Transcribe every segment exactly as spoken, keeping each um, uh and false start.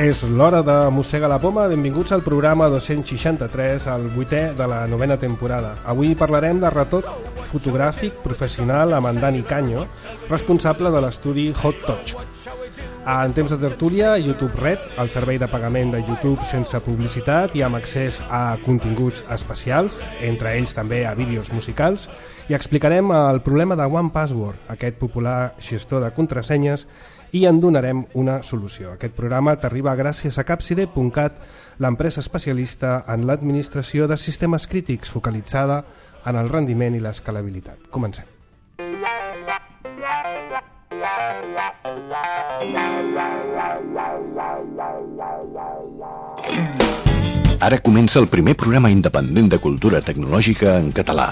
És l'hora de Mossega la Poma. Benvinguts al programa dos-cents seixanta-tres, el vuitè de la novena temporada. Avui parlarem de retoc fotogràfic professional amb en Dani Canyo, responsable de l'estudi Hot Touch. En temps de tertúlia, YouTube Red, el servei de pagament de YouTube sense publicitat i amb accés a continguts especials, entre ells també a vídeos musicals, i explicarem el problema de One Password, aquest popular gestor de contrasenyes, i en donarem una solució. Aquest programa t'arriba gràcies a Capside punt cat, l'empresa especialista en l'administració de sistemes crítics focalitzada en el rendiment i l'escalabilitat. Comencem. Ara comença el primer programa independent de cultura tecnològica en català.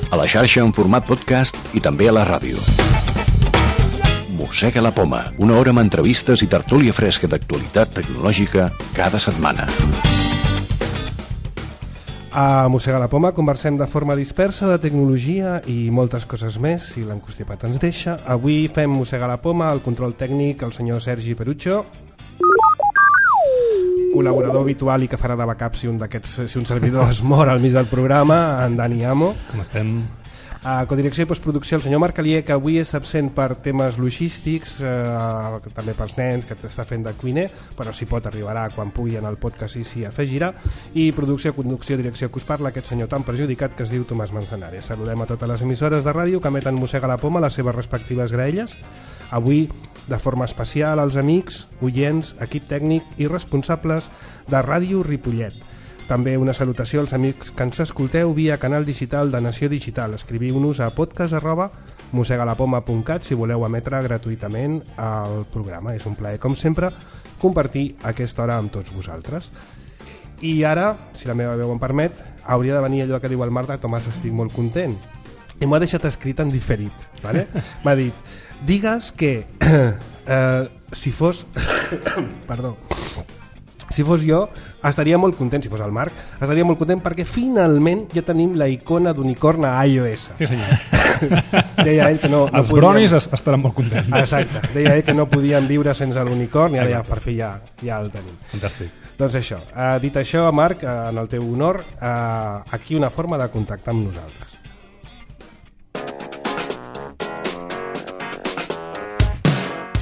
A la xarxa en format podcast i també a la ràdio. Mossega la Poma, una hora amb entrevistes i tertúlia fresca d'actualitat tecnològica cada setmana. A Mossega la Poma conversem de forma dispersa de tecnologia i moltes coses més, si l'encostipat ens deixa. Avui fem Mossega la Poma, el control tècnic, el senyor Sergi Perucho, col·laborador habitual i que farà de backup si un, si un servidor es mor al mig del programa, en Dani Amo. Com estem? A codirecció i postproducció el senyor Marc Alier, que avui és absent per temes logístics, eh, també pels nens, que està fent de cuiner, però si pot arribarà quan pugui en el podcast i s'hi afegirà. I producció, conducció, direcció que us parla aquest senyor tan perjudicat que es diu Tomàs Manzanares. Saludem a totes les emissores de ràdio que emeten Mossega la Poma a les seves respectives graelles. Avui, de forma especial, als amics, oients, equip tècnic i responsables de Ràdio Ripollet. També una salutació als amics que ens escolteu via canal digital de Nació Digital. Escriviu-nos a podcast arroba mosegalapoma punt cat si voleu emetre gratuïtament el programa. És un plaer, com sempre, compartir aquesta hora amb tots vosaltres. I ara, si la meva veu em permet, hauria de venir allò que diu el Marc de Tomàs, estic molt content. I m'ho ha deixat escrit en diferit. ¿Vale? M'ha dit, digues que eh, si fos... Perdó... Si fos jo, estaria molt content, si fos el Marc, estaria molt content perquè finalment ja tenim la icona d'unicorn a iOS. Sí, senyor. Deia ell que no, no Els podien... bronis estaran molt contents. Exacte. Deia ell que no podien viure sense l'unicorn i ara ja, per fi ja, ja el tenim. Fantàstic. Doncs això, eh, dit això, Marc, eh, en el teu honor, eh, aquí una forma de contactar amb nosaltres.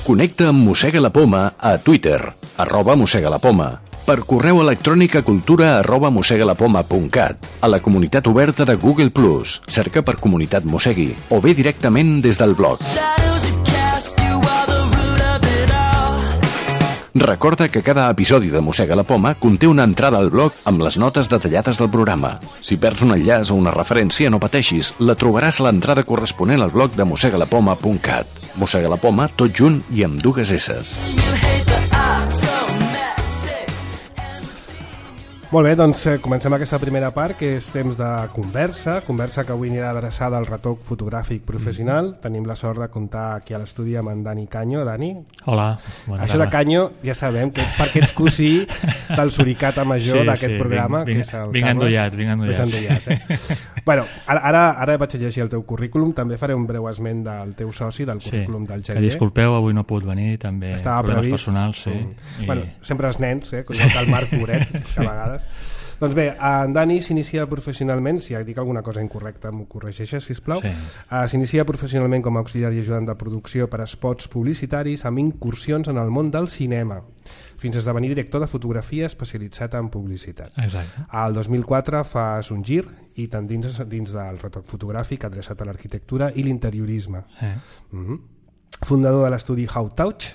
Connecta amb Mossega la Poma a Twitter, arroba Mossega la Poma, per correu electrònic a cultura arroba mosegalapoma punt cat, a la comunitat oberta de Google plus, cerca per Comunitat Mossegui, o bé directament des del blog. Recorda que cada episodi de Mossega la Poma conté una entrada al blog amb les notes detallades del programa. Si perds un enllaç o una referència, no pateixis, la trobaràs a l'entrada corresponent al blog de mosegalapoma punt cat. Mossega la Poma, tot junt i amb dues esses. Molt bé, doncs eh, comencem aquesta primera part, que és temps de conversa, conversa que avui anirà adreçada al retoc fotogràfic professional. Mm-hmm. Tenim la sort de comptar aquí a l'estudi amb en Dani Canyo. Dani? Hola. Bona Això tarda. De Canyo ja sabem que ets perquè ets cosí del suricata major sí, d'aquest sí, programa. Vinc, que és el vinc Carles. endollat, vinc endollat. endollat eh? Bueno, ara, ara, ara vaig a llegir el teu currículum, també faré un breu esment del teu soci, del currículum sí, del Xavier. Disculpeu, avui no he pogut venir, també estava problemes previst. Personals. Sí. Mm. I... Bueno, sempre els nens, eh? Com el Marc Moret, que a vegades... Doncs bé, en Dani s'inicia professionalment, si dic alguna cosa incorrecta m'ho corregeixes, sisplau. Sí. Uh, s'inicia professionalment com a auxiliar i ajudant de producció per a spots publicitaris amb incursions en el món del cinema, fins a esdevenir director de fotografia especialitzat en publicitat. Exacte. Al dos mil quatre fas un gir i t'endins dins del retoc fotogràfic adreçat a l'arquitectura i l'interiorisme. Sí. Mm-hmm. Fundador de l'estudi Hot Touch,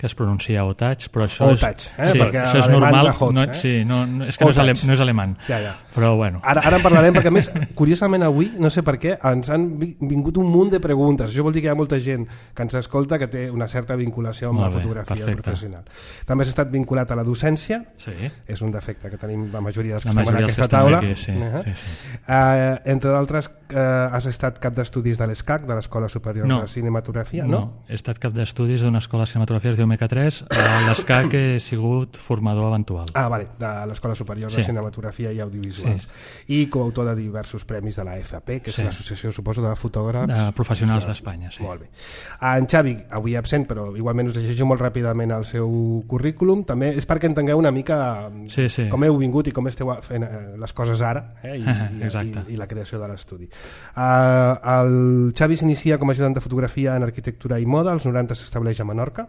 que es pronuncia Otage, però això és, Otage, eh? sí, Perquè això és l'alemany normal. de hot, no, eh? sí, no, no, és que no és, ale, no és alemany. Ja, ja. Però bueno. Ara, ara en parlarem, perquè a més, curiosament avui, no sé per què, ens han vingut un munt de preguntes. Això vol dir que hi ha molta gent que ens escolta que té una certa vinculació amb Molt la bé, fotografia perfecte. professional. També has estat vinculat a la docència, Sí. és un defecte que tenim la majoria dels que La estem en majoria dels aquesta que estem taula. aquí, sí, Uh-huh. sí, sí. Uh, entre d'altres, uh, has estat cap d'estudis de l'ESCAC, de l'Escola Superior No. de Cinematografia, No, no? he estat cap d'estudis d'una escola de cinematografia, es diu M K tres, a l'ESCAC he sigut formador eventual. Ah, vale, de l'Escola Superior Sí. de Cinematografia i Audiovisuals. Sí. I coautor de diversos premis de la F P, que és Sí. l'associació, suposo, de fotògrafs... De professionals d'Espanya, sí. Molt bé. En Xavi, avui absent, però igualment us llegeixo molt ràpidament el seu currículum. També és perquè entengueu una mica Sí, sí. com heu vingut i com esteu fent eh, les coses ara, eh, i, i, Exacte. i, i la creació de l'estudi. Uh, el Xavi s'inicia com a ajudant de fotografia en arquitectura i moda, als noranta s'estableix a Menorca,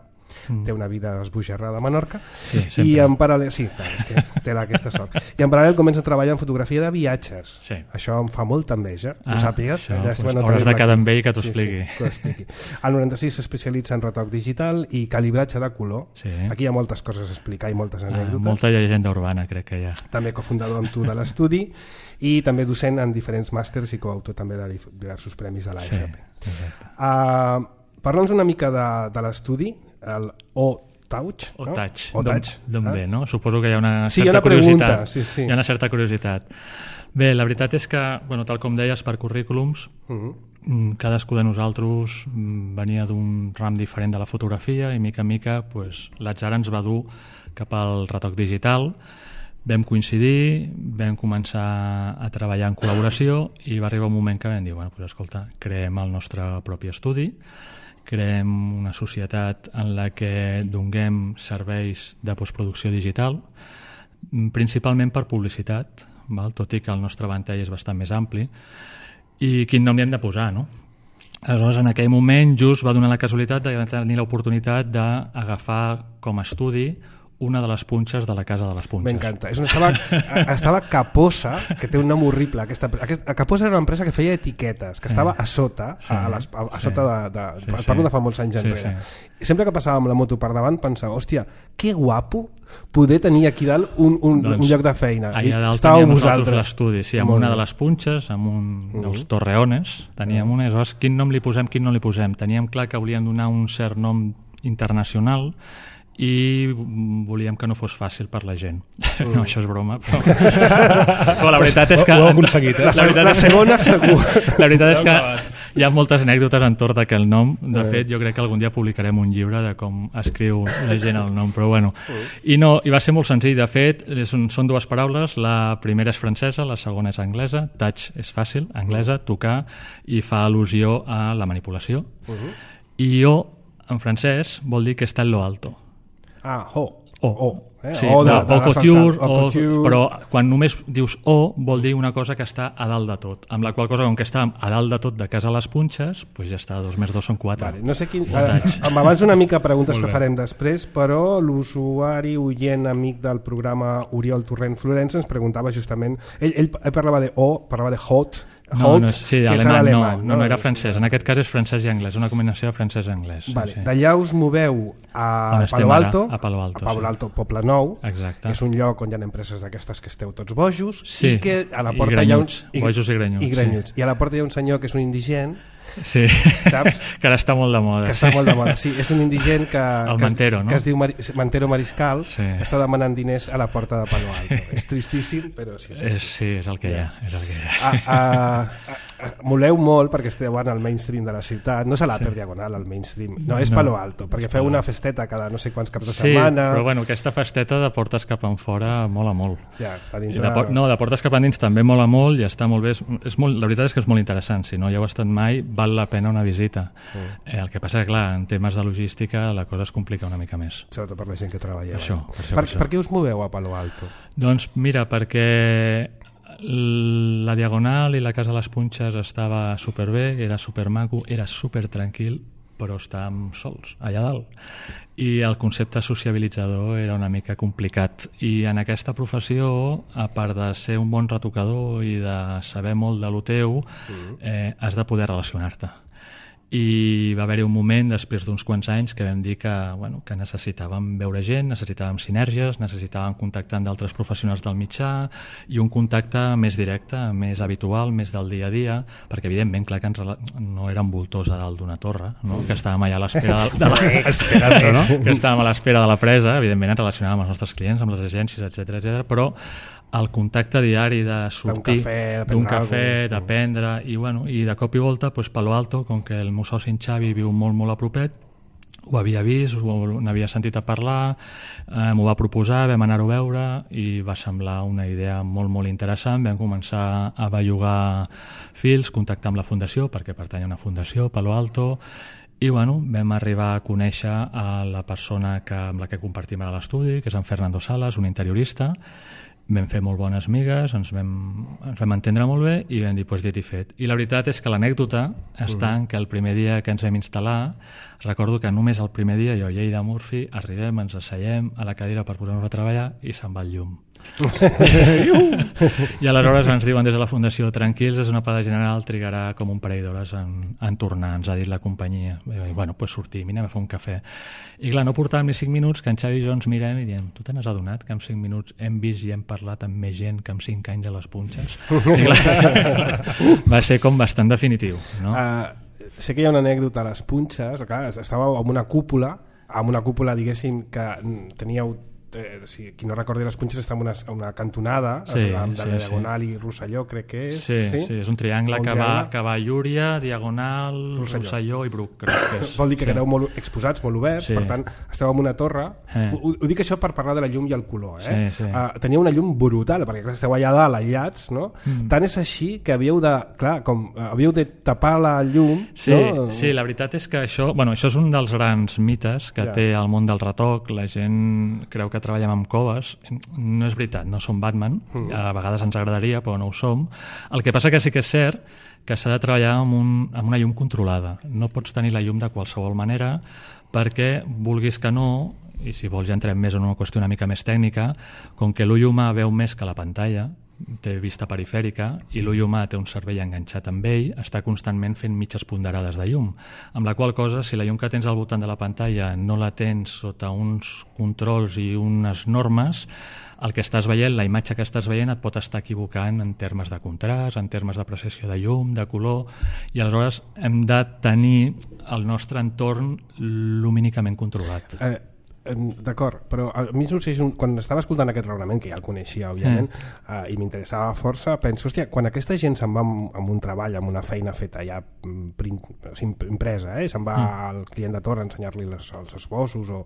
mm. té una vida esbojarrada a Menorca, Sí, sempre. i en paral·lel, sí, clar, és que té aquesta sort. I en paral·lel comença a treballar en fotografia de viatges. Sí. Això em fa molta enveja, Ah, ho sàpigues. això, Ja doncs, si bueno, hauràs tenim de quedar aquí. amb ell que t'ho Sí, expliqui. Sí, que ho expliqui. Al noranta-sis s'especialitza en retoc digital i calibratge de color. Sí. Aquí hi ha moltes coses a explicar i moltes Ah, anècdotes. molta llegenda urbana, crec que hi ha. També cofundador amb tu de l'estudi i també docent en diferents màsters i coautor també de dif- diversos premis de l'A F P. Sí, exacte. Uh, Parla'ns una mica de, de l'estudi, el O-Touch. O no? Touch, O-Touch. d'on eh? ve, no? Suposo que hi ha una Sí, hi ha certa una pregunta, curiositat. sí, sí. Hi ha una certa curiositat. Bé, la veritat és que, bueno, tal com deies, per currículums, Uh -huh. mm, cadascú de nosaltres mm, venia d'un ram diferent de la fotografia i mica en mica pues, l'atzar ens va dur cap al retoc digital. Vam coincidir, vam començar a treballar en col·laboració i va arribar un moment que vam dir, bueno, pues, escolta, creem el nostre propi estudi, creem una societat en la que donem serveis de postproducció digital, mm, principalment per publicitat, val? Tot i que el nostre ventall és bastant més ampli, i quin nom li hem de posar, no? Aleshores, en aquell moment, just va donar la casualitat de tenir l'oportunitat d'agafar com a estudi una de les punxes de la Casa de les Punxes. M'encanta. És on estava, estava Caposa, que té un nom horrible. Aquesta, aquesta, Caposa era una empresa que feia etiquetes, que estava a sota, Sí, a, les, a, a sí. sota de... de Sí, parlo sí. de fa molts anys Sí, enrere. sí. I sempre que passava amb la moto per davant pensava, hòstia, que guapo poder tenir aquí dalt un, un, Doncs, un lloc de feina. I allà dalt estàveu teníem nosaltres vosaltres. l'estudi, sí, amb Molt una bé. de les punxes, amb un Mhm. dels torreones, teníem una, i aleshores quin nom li posem, quin no li posem. Teníem clar que volíem donar un cert nom internacional i volíem que no fos fàcil per la gent. Mm. No, això és broma, però, però la veritat és que... Ho heu aconseguit, eh? La, La veritat la és- segona segur. La veritat és que hi ha moltes anècdotes entorn d'aquell nom. De fet, jo crec que algun dia publicarem un llibre de com escriu la gent el nom, però bueno. I, no, i va ser molt senzill. De fet, és un, són dues paraules. La primera és francesa, la segona és anglesa. Touch és fàcil, anglesa, tocar, i fa al·lusió a la manipulació. I O, en francès, vol dir que està en lo alto. Ah, ho. O, O. Eh? sí, O de- no, de o la couture, salsa. O o, couture. però quan només dius O vol dir una cosa que està a dalt de tot, amb la qual cosa, com que està a dalt de tot de casa a les punxes, doncs ja està, dos més dos són quatre. Vale, no sé quin... Voltatge. Eh, m'abans una mica preguntes Molt que bé. farem després, però l'usuari oient amic del programa Oriol Torrent Florença ens preguntava justament... Ell, ell, ell parlava de O, parlava de hot, No, hot no, sí, que és alemany, l'alemany, no, no, no, era francès. En aquest cas és francès i anglès, una combinació de francès i anglès. Vale, sí. d'allà us moveu a On estem Palo ara, Alto, a Palo Alto, a Palo sí. Alto, Poble Nou, Exacte. és un lloc on hi ha empreses d'aquestes que esteu tots bojos, Sí, i que a la i porta hi ha un... grenyuts, bojos i grenyuts, I, grenyuts. I a la porta hi ha un senyor que és un indigent, Sí, saps? que ara està molt de moda. que està molt de moda. Sí, és un indigent que, El que, Mantero, es, no? que es diu Mari, Mantero Mariscal, Sí. que està demanant diners a la porta de Palo Alto. És tristíssim, però sí, sí. És, sí, és el que hi ha. És el que hi ha. Ah, ah, ah, moleu molt perquè esteu en el mainstream de la ciutat, no se l'ha per diagonal el mainstream, no, és No. Palo Alto, perquè feu una festeta cada no sé quants caps de Sí, setmana. però bueno, aquesta festeta de portes cap en fora mola molt. Ja, a I dintre... de, por- no, de portes cap endins també mola molt i està molt bé. És, és molt, la veritat és que és molt interessant. Si no hi heu estat mai, val la pena una visita. Mm. Eh, el que passa que, clar, en temes de logística la cosa es complica una mica més. Sobretot per la gent que treballeu. Per això, eh? per això, per, per això. per què us moveu a Palo Alto? Doncs mira, perquè la Diagonal i la Casa de les Punxes estava superbé, era supermaco, era supertranquil, però estàvem sols allà dalt. I el concepte sociabilitzador era una mica complicat. I en aquesta professió, a part de ser un bon retocador i de saber molt de lo teu, eh, has de poder relacionar-te. i va haver-hi un moment després d'uns quants anys que vam dir que, bueno, que necessitàvem veure gent, necessitàvem sinergies, necessitàvem contactar amb d'altres professionals del mitjà i un contacte més directe, més habitual, més del dia a dia, perquè evidentment, clar, que ens rela... no érem voltors a dalt d'una torre, no? Que estàvem allà a l'espera de, de la... no? que estàvem a l'espera de la presa, evidentment ens relacionàvem amb els nostres clients, amb les agències, etcètera, etcètera, però el contacte diari de sortir d'un cafè, d'aprendre i, bueno, i de cop i volta pues, Palo Alto, com que el meu soci en Xavi viu molt molt a propet, ho havia vist, n'havia sentit a parlar, eh, m'ho va proposar, vam anar-ho a veure i va semblar una idea molt molt interessant. Vam començar a bellugar fils, contactar amb la fundació perquè pertany a una fundació, Palo Alto, i bueno, vam arribar a conèixer a la persona que, amb la que compartim a l'estudi, que és en Fernando Salas, un interiorista. Vam fer molt bones migues, ens vam, ens vam entendre molt bé i vam dir, pues, dit i fet. I la veritat és que l'anècdota està en que el primer dia que ens vam instal·lar, recordo que només el primer dia jo i ell de Murphy arribem, ens asseiem a la cadira per posar-nos a treballar i se'n va el llum. I aleshores ens diuen des de la Fundació, tranquils, és una pada general, trigarà com un parell d'hores en, en tornar, ens ha dit la companyia. I bueno, pues sortim i anem a fer un cafè. I clar, no portàvem ni cinc minuts que en Xavi i jo ens mirem i diem, tu te n'has adonat que en cinc minuts hem vist i hem parlat amb més gent que en cinc anys a les punxes? I clar, va ser com bastant definitiu, no? Uh, sé que hi ha una anècdota a les punxes, clar, estàveu amb una cúpula, amb una cúpula, diguéssim, que teníeu Eh, si qui no recordi, les punxes està en una, una cantonada, sí, amb sí, la Diagonal sí. i Rosselló, crec que és. Sí, sí, sí és un triangle, un que, triangle. Va, que va Llúria, Diagonal, Rosselló, Rosselló i Bruc. Crec que és. Vol dir que sí. quedeu molt exposats, molt oberts, sí. Per tant, esteu en una torre. Eh. Ho, ho dic això per parlar de la llum i el color. Eh? Sí, sí. Uh, teniu una llum brutal, perquè clar, esteu allà dalt, aïllats, no? Mm. Tant és així que havíeu de, clar, com uh, havíeu de tapar la llum. Sí, no? Sí, la veritat és que això, bueno, això és un dels grans mites que ja. Té el món del retoc. La gent creu que treballem amb coves. No és veritat, no som Batman, mm. a vegades ens agradaria però no ho som. El que passa que sí que és cert que s'ha de treballar amb, un, amb una llum controlada. No pots tenir la llum de qualsevol manera perquè vulguis que no, i si vols ja entrem més en una qüestió una mica més tècnica, com que l'ull humà veu més que la pantalla, té vista perifèrica i l'ull humà té un cervell enganxat amb ell, està constantment fent mitges ponderades de llum, amb la qual cosa, si la llum que tens al voltant de la pantalla no la tens sota uns controls i unes normes, el que estàs veient, la imatge que estàs veient et pot estar equivocant en termes de contrast, en termes d'apreciació de llum, de color, i aleshores hem de tenir el nostre entorn lumínicament controlat. Eh, D'acord, però a mi succeeix un... quan estava escoltant aquest raonament, que ja el coneixia òbviament, mm. uh, i m'interessava força, penso, hòstia, quan aquesta gent se'n va amb, amb un treball, amb una feina feta ja print, o sigui, impresa, eh? Se'n va mm. al client de torre a ensenyar-li les, els esbossos o,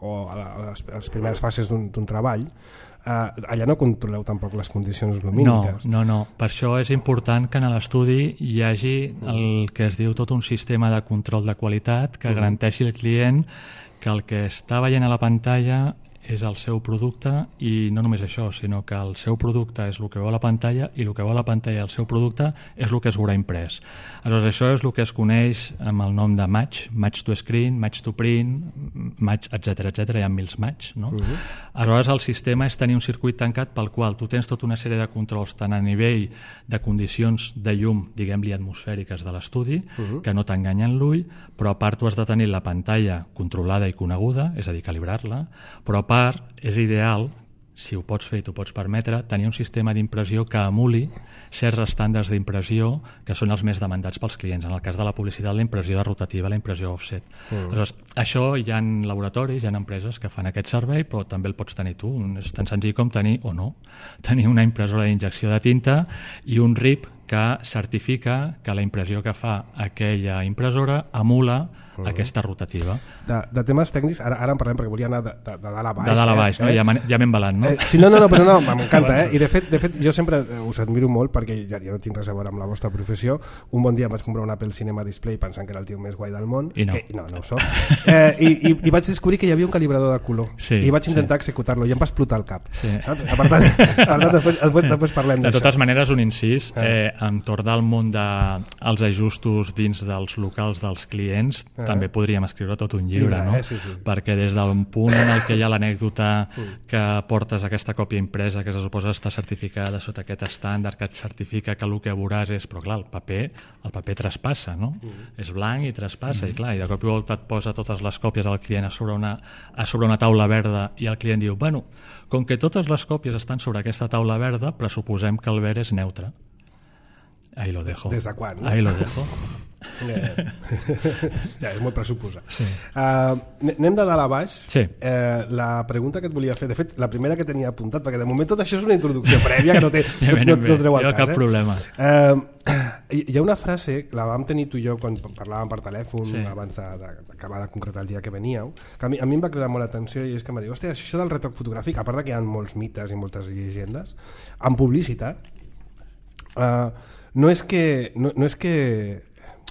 o a, les, a les primeres fases d'un treball, uh, allà no controleu tampoc les condicions lumíniques. No, no, no. Per això és important que en l'estudi hi hagi el que es diu tot un sistema de control de qualitat que mm. garanteixi al client que el que està veient a la pantalla és el seu producte i no només això, sinó que el seu producte és el que veu a la pantalla i el que veu a la pantalla el seu producte és el que es veurà imprès. Aleshores, això és el que es coneix amb el nom de match, match to screen, match to print, match, etcètera, etcètera, hi ha mils match, no? Uh-huh. Aleshores, el sistema és tenir un circuit tancat pel qual tu tens tota una sèrie de controls tant a nivell de condicions de llum, diguem-li atmosfèriques de l'estudi, uh-huh. que no t'enganyen l'ull, però a part tu has de tenir la pantalla controlada i coneguda, és a dir, calibrar-la, però a part és ideal, si ho pots fer i t'ho pots permetre, tenir un sistema d'impressió que emuli certs estàndards d'impressió que són els més demandats pels clients. En el cas de la publicitat, la impressió de rotativa, la impressió offset. Mm. Aleshores, això hi ha laboratoris, hi ha empreses que fan aquest servei, però també el pots tenir tu. És tan senzill com tenir, o no, tenir una impressora d'injecció de tinta i un R I P que certifica que la impressió que fa aquella impressora emula uh-huh. aquesta rotativa. De, de temes tècnics, ara, ara en parlem perquè volia anar de, de, de dalt a baix. De dalt a baix, eh? No? Ja, ja m'he embalat, no? Eh, sí, no, no, no, però no, m'encanta, eh? I de fet, de fet jo sempre us admiro molt perquè ja, ja no tinc res a veure amb la vostra professió. Un bon dia em vaig comprar un Apple Cinema Display pensant que era el tio més guai del món. I no. Que, no, no ho soc. Eh, i, i, I vaig descobrir que hi havia un calibrador de color. Sí, I vaig intentar sí. executar-lo i em va explotar el cap. Sí. Saps? Per tant, per tant després, després, després parlem de d'això. totes maneres, un incís. Eh, entorn del món dels ajustos dins dels locals dels clients ah. també podríem escriure tot un llibre, Llibre, no? eh? Sí, sí. Perquè des del punt en el que hi ha l'anècdota que portes aquesta còpia impresa que se suposa està certificada sota aquest estàndard que et certifica que el que veuràs és... Però clar, el paper, el paper traspassa, no? Mm. És blanc i traspassa, mm. i clar, i de cop i volta et posa totes les còpies al client a sobre una, a sobre una taula verda i el client diu, bueno, com que totes les còpies estan sobre aquesta taula verda, pressuposem que el verd és neutre. Ahí lo dejo. Des de quan? No? Ahí lo dejo. Eh, ja, és molt pressuposar. Sí. Uh, anem de dalt a baix. Sí. Uh, la pregunta que et volia fer, de fet, la primera que tenia apuntat, perquè de moment tot això és una introducció prèvia que no, té, ja no, no, no treu al cas. Cap eh? problema. Uh, hi ha una frase, la vam tenir tu i jo quan parlàvem per telèfon, sí. abans d'acabar de, de concretar el dia que veníeu, que a mi, a mi em va cridar molt l'atenció i és que em va dir, hòstia, això del retoc fotogràfic, a part que hi ha molts mites i moltes llegendes, en publicitat, uh, no és que... No, no és que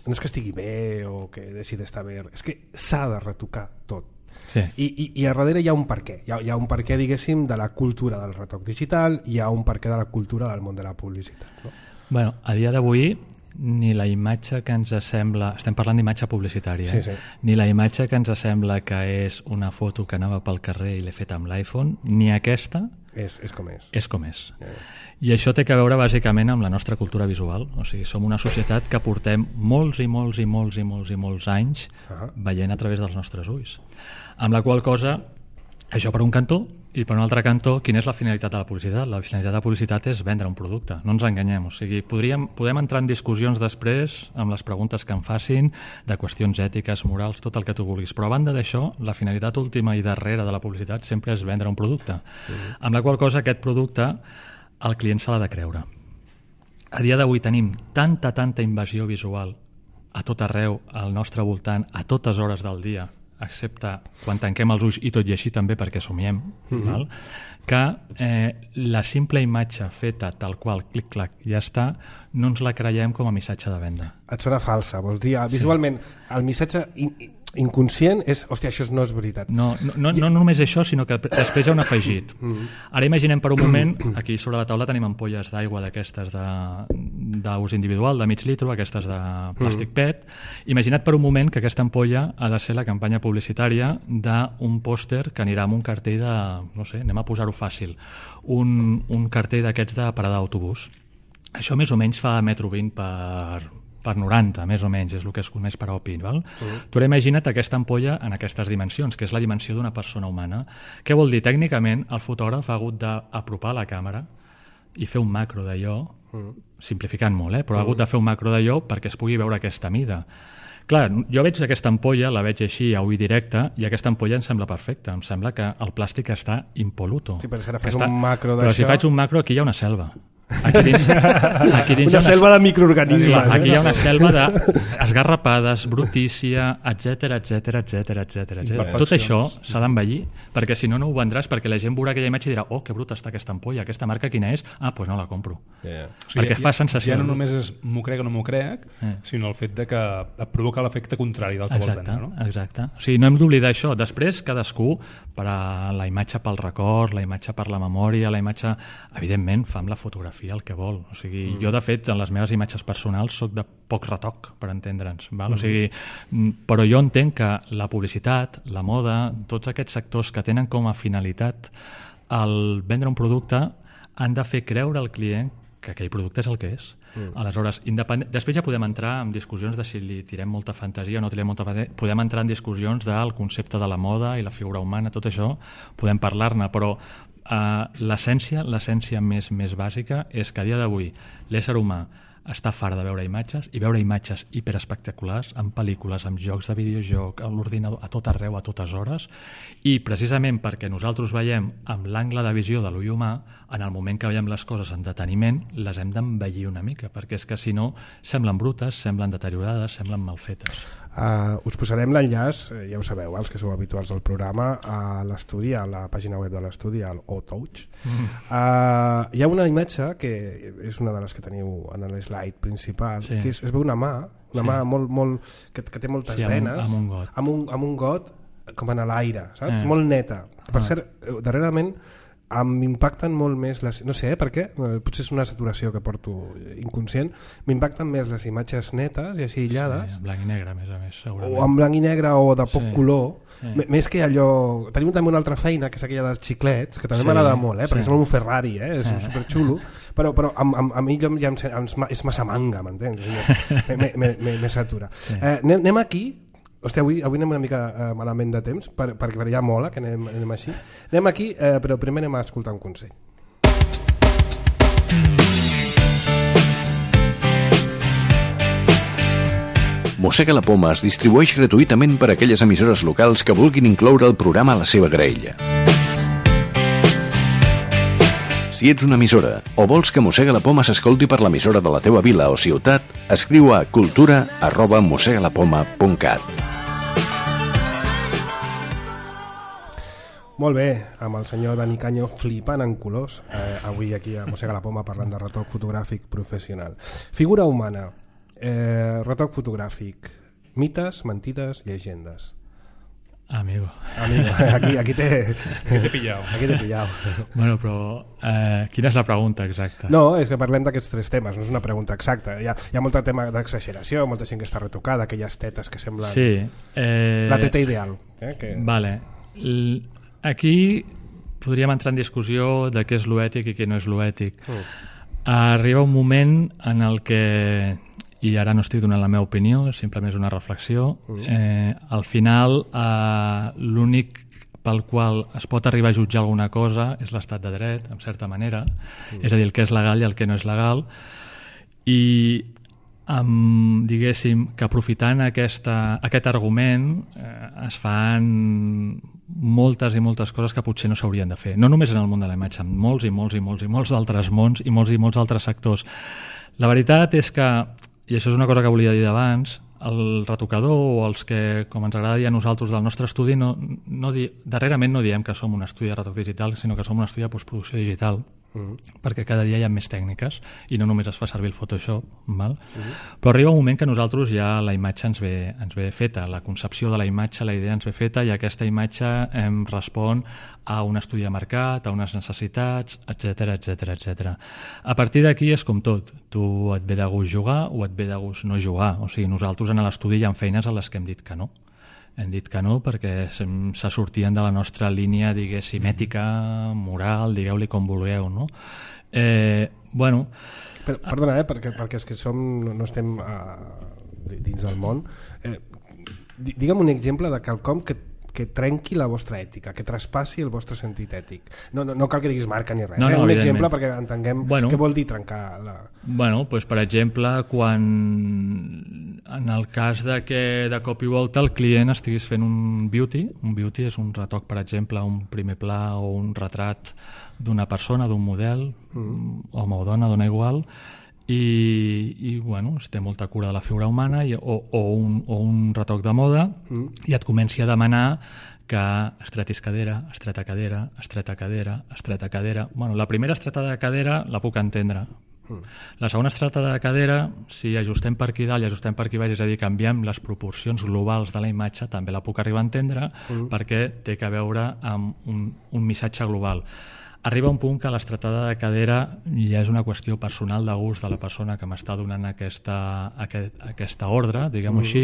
no és que estigui bé o que deixi d'estar bé, és que s'ha de retocar tot. Sí. I, i, I a darrere hi ha un perquè. Hi ha, hi ha un perquè, diguéssim, de la cultura del retoc digital, hi ha un perquè de la cultura del món de la publicitat. No? Bueno, a dia d'avui ni la imatge que ens sembla... Estem parlant d'imatge publicitària, sí, eh? sí. Ni la imatge que ens sembla que és una foto que anava pel carrer i l'he fet amb l'iPhone, ni aquesta... És, és com és. És com és. Yeah. I això té a veure bàsicament amb la nostra cultura visual. O sigui, som una societat que portem molts i molts i molts i molts i molts anys uh-huh. veient a través dels nostres ulls. Amb la qual cosa, això per un cantó, i per un altre cantó, quina és la finalitat de la publicitat? La finalitat de la publicitat és vendre un producte, no ens enganyem. O sigui, podríem, podem entrar en discussions després amb les preguntes que em facin de qüestions ètiques, morals, tot el que tu vulguis. Però a banda d'això, la finalitat última i darrere de la publicitat sempre és vendre un producte. Uh-huh. Amb la qual cosa aquest producte el client se l'ha de creure. A dia d'avui tenim tanta, tanta invasió visual a tot arreu, al nostre voltant, a totes hores del dia, excepte quan tanquem els ulls i tot i així també perquè somiem, mm-hmm. val? Que eh, la simple imatge feta tal qual, clic-clac, ja està, no ens la creiem com a missatge de venda. Et sona falsa, vols dir, visualment, sí. El missatge in inconscient és, hòstia, això no és veritat. No, no, no, no només això, sinó que després hi ha un afegit. Ara imaginem per un moment, aquí sobre la taula tenim ampolles d'aigua d'aquestes d'ús individual, de mig litro, aquestes de plàstic P E T. Imagina't per un moment que aquesta ampolla ha de ser la campanya publicitària d'un pòster que anirà amb un cartell de, no sé, anem a posar-ho fàcil, un, un cartell d'aquests de parada d'autobús. Això més o menys fa metro vint per... per noranta, més o menys, és el que es coneix per O P I. Val? Uh-huh. Tu ara imagina't aquesta ampolla en aquestes dimensions, que és la dimensió d'una persona humana. Què vol dir? Tècnicament, el fotògraf ha hagut d'apropar la càmera i fer un macro d'allò, uh-huh. simplificant molt, eh? però uh-huh. ha hagut de fer un macro d'allò perquè es pugui veure aquesta mida. Clar, jo veig aquesta ampolla, la veig així a ull directe, i aquesta ampolla em sembla perfecta. Em sembla que el plàstic està impoluto. Sí, però si ara fas un macro d'això... Però si faig un macro, aquí hi ha una selva. Aquí dins, aquí dins una, una selva de microorganismes. Clar, aquí hi ha una selva d'esgarrapades, brutícia, etc etc etc etc. Tot això s'ha d'envellir, perquè si no, no ho vendràs, perquè la gent veurà aquella imatge i dirà, oh, que bruta està aquesta ampolla, aquesta marca quina és? Ah, doncs pues no la compro. Yeah. O sigui, perquè ja, fa sensació. Ja no només és m'ho crec o no m'ho crec, eh. sinó el fet de que et provoca l'efecte contrari del que exacte, vols vendre. No? Exacte. O sigui, no hem d'oblidar això. Després, cadascú, per a la imatge pel record, la imatge per la memòria, la imatge... Evidentment, fa amb la fotografia el que vol. O sigui, mm. jo, de fet, en les meves imatges personals soc de poc retoc, per entendre'ns. Val? Mm. O sigui, però jo entenc que la publicitat, la moda, tots aquests sectors que tenen com a finalitat el vendre un producte han de fer creure al client que aquell producte és el que és. Mm. Aleshores, independent... després ja podem entrar en discussions de si li tirem molta fantasia o no tirem molta fantasia. Podem entrar en discussions del concepte de la moda i la figura humana, tot això, podem parlar-ne, però Uh, l'essència, l'essència més, més bàsica és que a dia d'avui l'ésser humà està fart de veure imatges i veure imatges hiperespectaculars en pel·lícules, en jocs de videojoc, a l'ordinador, a tot arreu, a totes hores, i precisament perquè nosaltres veiem amb l'angle de visió de l'ull humà, en el moment que veiem les coses en deteniment, les hem d'envellir una mica, perquè és que si no semblen brutes, semblen deteriorades, semblen mal fetes. Uh, us posarem l'enllaç, ja ho sabeu, els que sou habituals del programa, a l'estudi, a la pàgina web de l'estudi, al O-Touch. Mm. Uh, hi ha una imatge que és una de les que teniu en l'slide principal, sí. que és, es veu una mà, una sí. mà molt, molt, que, que té moltes sí, venes, amb un, amb un got, amb un, amb un got com en l'aire, saps? Eh. Molt neta. Per ah. cert, darrerament m'impacten molt més les, no sé, eh, per què? Potser és una saturació que porto inconscient, m'impacten més les imatges netes i així aïllades, sí, en blanc i negre, a més a més, segurament, o en blanc i negre o de poc sí. color, sí. M més que allò. Tenim també una altra feina, que és aquella dels xiclets, que també sí. m'agrada molt, eh? perquè sí. sembla un Ferrari, eh? és eh. superxulo, però, però a, a, a mi ja em, ja em, és massa manga, m'entens? Me satura. Sí. Eh, anem, anem aquí. Hòstia, avui, avui anem una mica eh, malament de temps, per, perquè per allà mola que anem, anem així. Anem aquí, eh, però primer anem a escoltar un consell. Mossega la Poma es distribueix gratuïtament per a aquelles emissores locals que vulguin incloure el programa a la seva graella. Si ets una emissora o vols que Mossega la Poma s'escolti per l'emissora de la teva vila o ciutat, escriu a cultura arroba mossegalapoma punt cat. Molt bé, amb el senyor Dani Canyo flipant en colors, eh, avui aquí a Mossega la Poma parlant de retoc fotogràfic professional. Figura humana, eh, retoc fotogràfic, mites, mentides, llegendes. Amigo. Amigo, aquí, aquí t'he aquí pillat. Aquí t'he pillat. Bueno, però eh, quina és la pregunta exacta? No, és que parlem d'aquests tres temes, no és una pregunta exacta. Hi ha, hi ha molt tema d'exageració, molta gent que està retocada, aquelles tetes que semblen... Sí. Eh... La teta ideal. Eh, que... Vale. L Aquí podríem entrar en discussió de què és lo ètic i què no és lo ètic. Mm. Arriba un moment en el que, i ara no estic donant la meva opinió, simplement és una reflexió, mm. eh, al final eh, l'únic pel qual es pot arribar a jutjar alguna cosa és l'estat de dret, en certa manera, mm. és a dir, el que és legal i el que no és legal, i Um, diguéssim que aprofitant aquesta, aquest argument eh, es fan moltes i moltes coses que potser no s'haurien de fer, no només en el món de la imatge, en molts i molts i molts i molts d'altres mons i molts i molts altres sectors. La veritat és que, i això és una cosa que volia dir d'abans, el retocador o els que, com ens agrada dir a nosaltres del nostre estudi, no, no di, darrerament no diem que som un estudi de retoc digital, sinó que som un estudi de postproducció digital, mm-hmm. perquè cada dia hi ha més tècniques i no només es fa servir el Photoshop, val? Mm-hmm. Però arriba un moment que nosaltres ja la imatge ens ve, ens ve feta, la concepció de la imatge, la idea ens ve feta i aquesta imatge em respon a un estudi de mercat, a unes necessitats, etcètera, etcètera, etcètera. A partir d'aquí és com tot, tu et ve de gust jugar o et ve de gust no jugar, o sigui, nosaltres en l'estudi hi ha feines a les que hem dit que no. Hem dit que no perquè se, se sortien de la nostra línia, diguéssim, ètica, moral, digueu-li com vulgueu, no? Eh, bueno... Però, perdona, eh, perquè, perquè és que som, no estem uh, dins del món. Eh, digue'm un exemple de quelcom que que trenqui la vostra ètica, que traspassi el vostre sentit ètic. No, no, no cal que diguis marca ni res. No, no, eh? Un exemple perquè entenguem bueno, què vol dir trencar la... Bueno, doncs per exemple, quan en el cas de que de cop i volta el client estigués fent un beauty, un beauty és un retoc, per exemple, un primer pla o un retrat d'una persona, d'un model, mm. home o dona, dona igual, i, i bueno, es té molta cura de la figura humana i, o, o, un, o un retoc de moda mm. i et comenci a demanar que estretis cadera, estreta cadera, estreta cadera, estreta cadera. Bueno, la primera estreta de cadera la puc entendre. Mm. La segona estreta de cadera, si ajustem per aquí dalt i ajustem per aquí baix, és a dir, canviem les proporcions globals de la imatge, també la puc arribar a entendre mm. perquè té que veure amb un, un missatge global. Arriba un punt que l'estretada de cadera ja és una qüestió personal de gust de la persona que m'està donant aquesta, aquest, aquesta ordre, diguem-ho mm. així,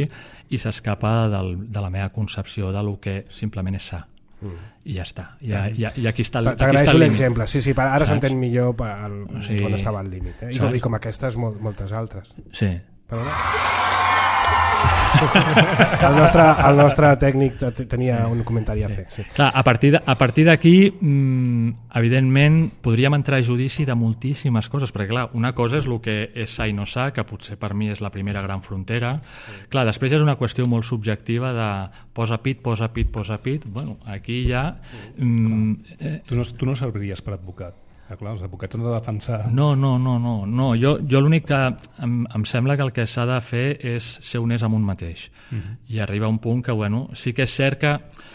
i s'escapa de la meva concepció de lo que simplement és sa. Mm. I ja està. I, i, i aquí està el límit. T'agraeixo l'exemple. Sí, sí, ara s'entén millor pel, o sigui, quan estava al límit. Eh? I, com, I com aquestes, molt, moltes altres. Sí. Perdona? el, nostre, el nostre tècnic tenia un comentari a fer. Sí. Clar, a partir d'aquí, mmm, evidentment, podríem entrar a judici de moltíssimes coses, perquè clar, una cosa és el que és sa i no sa, que potser per mi és la primera gran frontera. Sí. Clar, després és una qüestió molt subjectiva de posa pit, posa pit, posa pit. Bueno, aquí ja... Mm, eh, tu, no, tu no serviries per advocat. Ah, clar, els advocats han de defensar... No, no, no, no. no. Jo, jo l'únic que em, em sembla que el que s'ha de fer és ser honest amb un mateix. Uh-huh. I arriba un punt que, bueno, sí que és cert que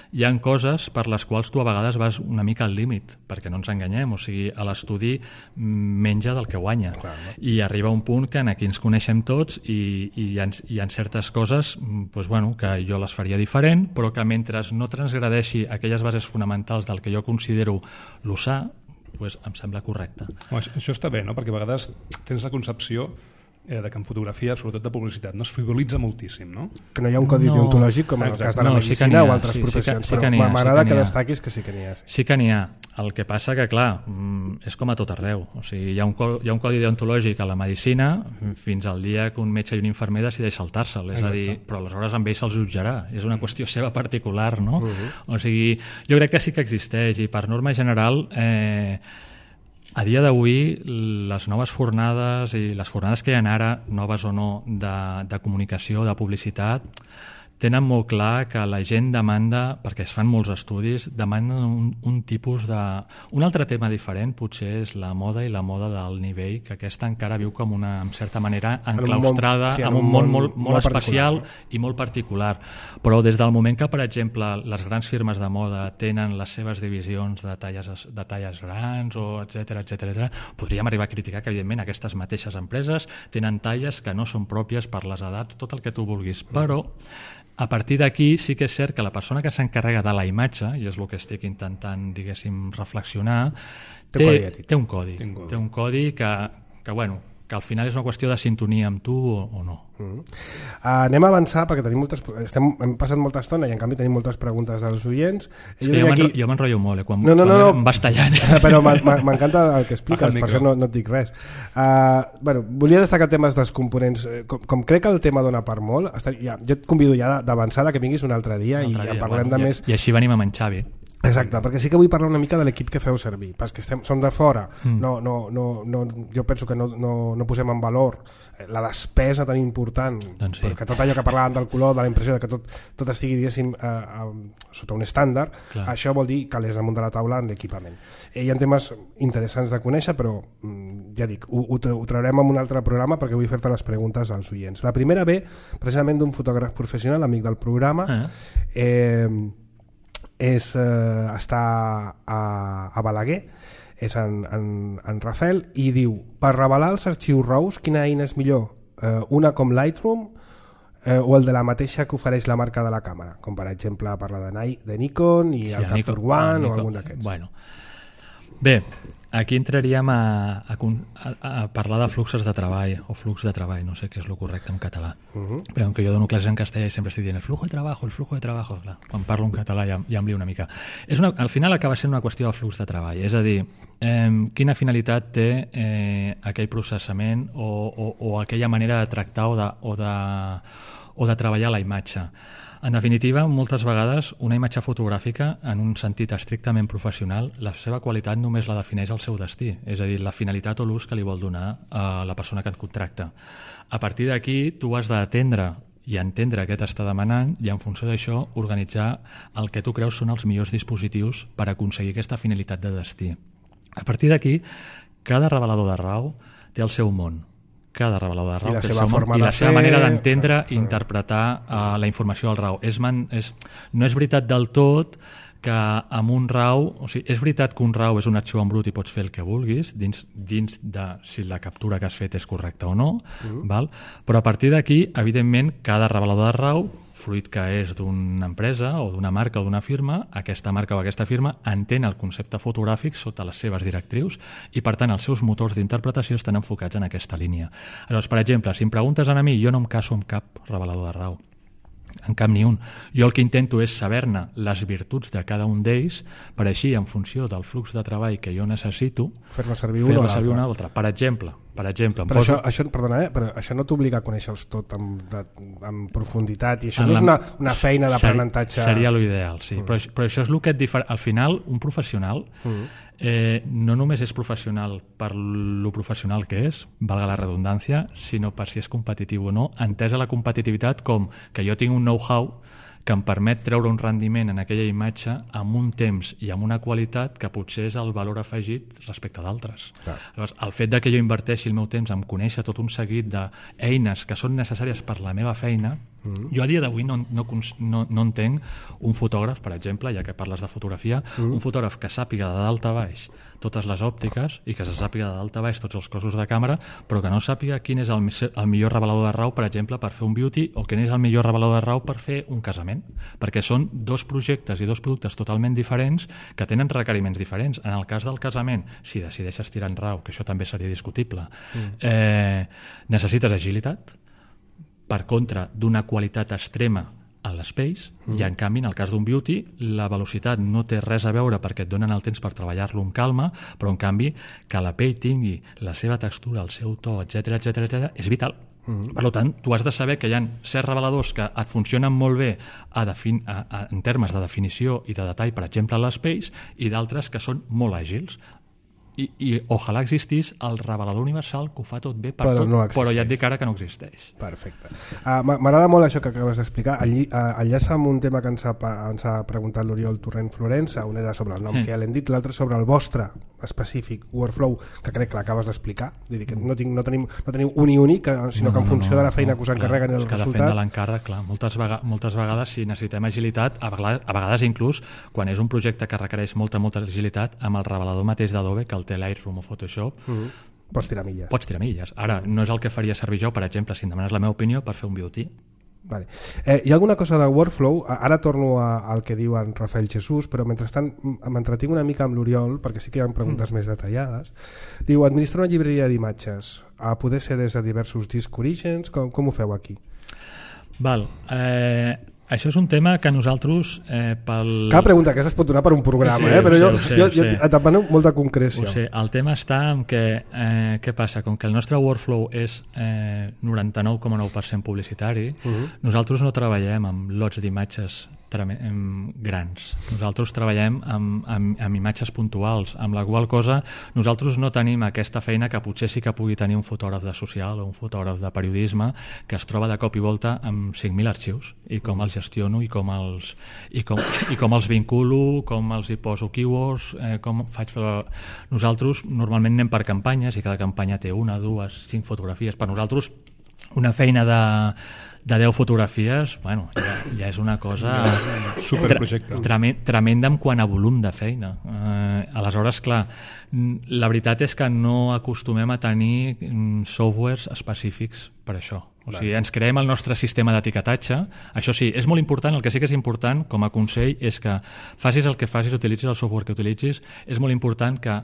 hi ha coses per les quals tu a vegades vas una mica al límit, perquè no ens enganyem, o sigui, a l'estudi menja del que guanya. Clar, no? I arriba un punt que aquí ens coneixem tots i, i hi, ha, hi ha certes coses pues, bueno, que jo les faria diferent, però que mentre no transgradeixi aquelles bases fonamentals del que jo considero l'usar, pues em sembla correcte. Home, això està bé, no? Perquè a vegades tens la concepció eh, de que en fotografia, sobretot de publicitat, no es frivolitza moltíssim, no? Que no hi ha un codi no. deontològic com en el cas de la no, medicina sí o altres sí, professions, sí que, sí que però m'agrada sí que, que destaquis que sí que n'hi ha. Sí. sí que n'hi ha. El que passa que, clar, és com a tot arreu. O sigui, hi ha un, hi ha un codi deontològic a la medicina fins al dia que un metge i un infermer decideix saltar-se'l. És a dir, però aleshores amb ell se'ls jutjarà. És una qüestió seva particular, no? Uh-huh. O sigui, jo crec que sí que existeix i per norma general eh, a dia d'avui les noves fornades i les fornades que hi ha ara, noves o no, de, de comunicació, de publicitat, tenen molt clar que la gent demanda, perquè es fan molts estudis, demanden un, un tipus de... Un altre tema diferent potser és la moda i la moda del nivell, que aquesta encara viu com una, en certa manera, enclaustrada, en un món, sí, en un món molt, molt, molt especial i molt particular. Però des del moment que, per exemple, les grans firmes de moda tenen les seves divisions de talles, de talles grans, o etcètera, etcètera, podríem arribar a criticar que, evidentment, aquestes mateixes empreses tenen talles que no són pròpies per les edats, tot el que tu vulguis. Però a partir d'aquí sí que és cert que la persona que s'encarrega de la imatge, i és el que estic intentant, diguéssim, reflexionar, té, té, té un codi. Té un codi que, que, bueno, que al final és una qüestió de sintonia amb tu o, o no. Mm. Uh, anem a avançar perquè tenim moltes, estem, hem passat molta estona i en canvi tenim moltes preguntes dels oients. És jo que jo, aquí... jo m'enrotllo molt, eh? quan, no, no, quan no, em vas tallant. Però m'encanta el que expliques, per això no, no et dic res. Uh, bueno, volia destacar temes dels components. Com, com crec que el tema dona per molt, està, ja, jo et convido ja d'avançar, que vinguis un altre dia, un altre i dia, ja parlem bueno, de i, més. I així venim amb en Xavi. Exacte, perquè sí que vull parlar una mica de l'equip que feu servir, perquè estem, som de fora, mm. no, no, no, no, jo penso que no, no, no posem en valor la despesa tan important, doncs sí. perquè tot allò que parlàvem del color, de la impressió de que tot, tot estigui, diguéssim, eh, eh, sota un estàndard, clar. Això vol dir que l'és damunt de la taula en l'equipament. Eh, hi ha temes interessants de conèixer, però ja dic, ho, ho, ho traurem en un altre programa perquè vull fer-te les preguntes als oients. La primera ve precisament d'un fotògraf professional, amic del programa, eh, eh és, eh, està a, a Balaguer, és en, en, en Rafael, i diu, per revelar els arxius RAWs, quina eina és millor? Eh, una com Lightroom eh, o el de la mateixa que ofereix la marca de la càmera? Com per exemple parla de, de Nikon i sí, el Capture One ah, o algun d'aquests. Bueno. Bé, aquí entraríem a, a, a, a parlar de fluxos de treball o flux de treball, no sé què és el correcte en català. Uh-huh. Però aunque jo dono classes en castellà i sempre estic dient el flujo de trabajo, el flujo de trabajo, clar, quan parlo en català ja, ja em lio una mica. És una, al final acaba sent una qüestió de flux de treball, és a dir, eh, quina finalitat té eh, aquell processament o, o, o aquella manera de tractar o de, o de, o de treballar la imatge. En definitiva, moltes vegades una imatge fotogràfica, en un sentit estrictament professional, la seva qualitat només la defineix el seu destí, és a dir, la finalitat o l'ús que li vol donar a la persona que et contracta. A partir d'aquí, tu has d'atendre i entendre què t'està demanant i, en funció d'això, organitzar el que tu creus són els millors dispositius per aconseguir aquesta finalitat de destí. A partir d'aquí, cada revelador de RAW té el seu món. Cada revelador de RAW i la seva, forma i la de seva fer... manera d'entendre i interpretar uh, la informació del RAW. És man, és, no és veritat del tot que amb un RAW, o sigui, és veritat que un RAW és un arxiu en brut i pots fer el que vulguis dins, dins de si la captura que has fet és correcta o no, mm. val? Però a partir d'aquí, evidentment, cada revelador de RAW, fruit que és d'una empresa o d'una marca o d'una firma, aquesta marca o aquesta firma entén el concepte fotogràfic sota les seves directrius i, per tant, els seus motors d'interpretació estan enfocats en aquesta línia. Llavors, per exemple, si em preguntes a mi, jo no em caso amb cap revelador de RAW, en cap ni un. Jo el que intento és saber-ne les virtuts de cada un d'ells per així, en funció del flux de treball que jo necessito, fer-la servir, fer una, servir una altra. Per exemple, per exemple però, poso... això, això, perdona, eh? Però això no t'obliga a conèixer-los tot amb, de, amb profunditat i això en no és una, una feina d'aprenentatge. Seria l'ideal, sí. Mm. Però, però això és el que et difere... Al final, un professional mm. eh, no només és professional per lo professional que és, valga la redundància, sinó per si és competitiu o no, entesa la competitivitat com que jo tinc un know-how que em permet treure un rendiment en aquella imatge amb un temps i amb una qualitat que potser és el valor afegit respecte d'altres. Llavors, el fet de que jo inverteixi el meu temps en conèixer tot un seguit d'eines que són necessàries per la meva feina, mm. jo a dia d'avui no, no, no, no entenc un fotògraf, per exemple, ja que parles de fotografia, mm. un fotògraf que sàpiga de dalt a baix totes les òptiques i que se sàpiga de dalt a baix tots els cossos de càmera, però que no sàpiga quin és el, el millor revelador de RAW, per exemple, per fer un beauty, o quin és el millor revelador de RAW per fer un casament, perquè són dos projectes i dos productes totalment diferents que tenen requeriments diferents. En el cas del casament, si decideixes tirar en RAW, que això també seria discutible, mm. eh, necessites agilitat, per contra d'una qualitat extrema a l'Space, mm. i en canvi en el cas d'un beauty la velocitat no té res a veure perquè et donen el temps per treballar-lo amb calma, però en canvi que la pell tingui la seva textura, el seu to, etc etc etc és vital. Mm. Per tant, tu has de saber que hi ha certs reveladors que et funcionen molt bé a defin a, a, en termes de definició i de detall, per exemple a l'Space, i d'altres que són molt àgils. I, i ojalà existís el revelador universal que ho fa tot bé per però tot, no però ja et dic ara que no existeix. Perfecte. Uh, M'agrada molt això que acabes d'explicar. Enlli, uh, enllaça amb un tema que ens ha, ens ha preguntat l'Oriol Torrent Florença, un era sobre el nom mm. que ja l'hem dit, l'altre sobre el vostre específic workflow, que crec que l'acabes d'explicar. Vull dir que no, tinc, no, tenim, no teniu un i únic, sinó no, que en funció no, no, de la feina no, que us encarreguen clar, el resultat... Cada feina de l'encàrrec, clar. Moltes, vega moltes vegades, si necessitem agilitat, a vegades, a vegades inclús, quan és un projecte que requereix molta, molta agilitat, amb el revelador mateix d'Adobe, que el té Lightroom o Photoshop, mm -hmm. pots tirar milles. Pots tirar milles. Ara, no és el que faria servir jo, per exemple, si em demanes la meva opinió, per fer un beauty. Vale. Eh, hi ha alguna cosa de workflow? Ara torno a, al que diu en Rafael Jesús, però mentrestant m'entretinc una mica amb l'Oriol, perquè sí que hi ha preguntes mm. més detallades. Diu, administrar una llibreria d'imatges, a poder ser des de diversos discs orígens, com, com ho feu aquí? Val, eh... Això és un tema que nosaltres... Eh, pel... Cada pregunta aquesta es pot donar per un programa, sí, eh? però sé, jo, sé, jo, jo sé. et demano molta concreció. Ho sé. El tema està en que... Eh, què passa? Com que el nostre workflow és eh, noranta-nou coma nou per cent publicitari, uh -huh. nosaltres no treballem amb lots d'imatges grans. Nosaltres treballem amb, amb, amb imatges puntuals, amb la qual cosa nosaltres no tenim aquesta feina que potser sí que pugui tenir un fotògraf de social o un fotògraf de periodisme que es troba de cop i volta amb cinc mil arxius i com els gestiono i com els, i com, i com els vinculo, com els hi poso keywords, eh, com faig... Nosaltres normalment anem per campanyes i cada campanya té una, dues, cinc fotografies. Per nosaltres una feina de de deu fotografies, bueno, ja, ja és una cosa superprojecte. Tremenda, tremenda en quant a volum de feina. Eh, aleshores, clar, la veritat és que no acostumem a tenir softwares específics per això. O sigui, ens creem el nostre sistema d'etiquetatge. Això sí, és molt important, el que sí que és important com a consell és que facis el que facis, utilitzis el software que utilitzis, és molt important que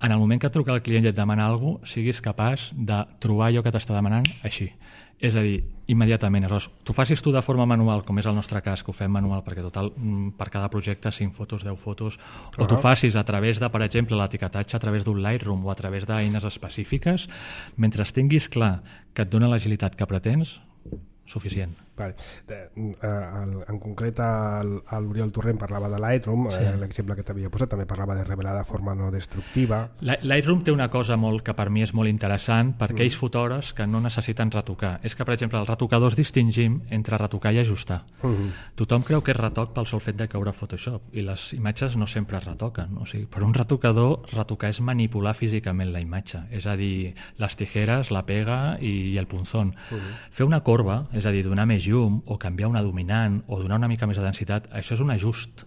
en el moment que et truca el client i et demana alguna cosa, siguis capaç de trobar allò que t'està demanant així. És a dir, immediatament. Aleshores, tu facis tu de forma manual, com és el nostre cas, que ho fem manual, perquè total, per cada projecte, cinc fotos, deu fotos, o tu facis a través de, per exemple, l'etiquetatge a través d'un Lightroom o a través d'eines específiques, mentre tinguis clar que et dona l'agilitat que pretens, suficient. Vale. De, uh, en concret l'Oriol Torrent parlava de Lightroom, sí. eh, l'exemple que t'havia posat també parlava de revelar de forma no destructiva. Lightroom té una cosa molt que per mi és molt interessant per aquells mm. fotògrafs que no necessiten retocar. És que, per exemple, els retocadors distingim entre retocar i ajustar. Mm-hmm. Tothom creu que és retoc pel sol fet de caure a Photoshop i les imatges no sempre es retoquen. O sigui, per un retocador, retocar és manipular físicament la imatge, és a dir, les tijeres, la pega i, i el punzón. Mm-hmm. Fer una corba, és a dir, donar més llum o canviar una dominant o donar una mica més de densitat, això és un ajust.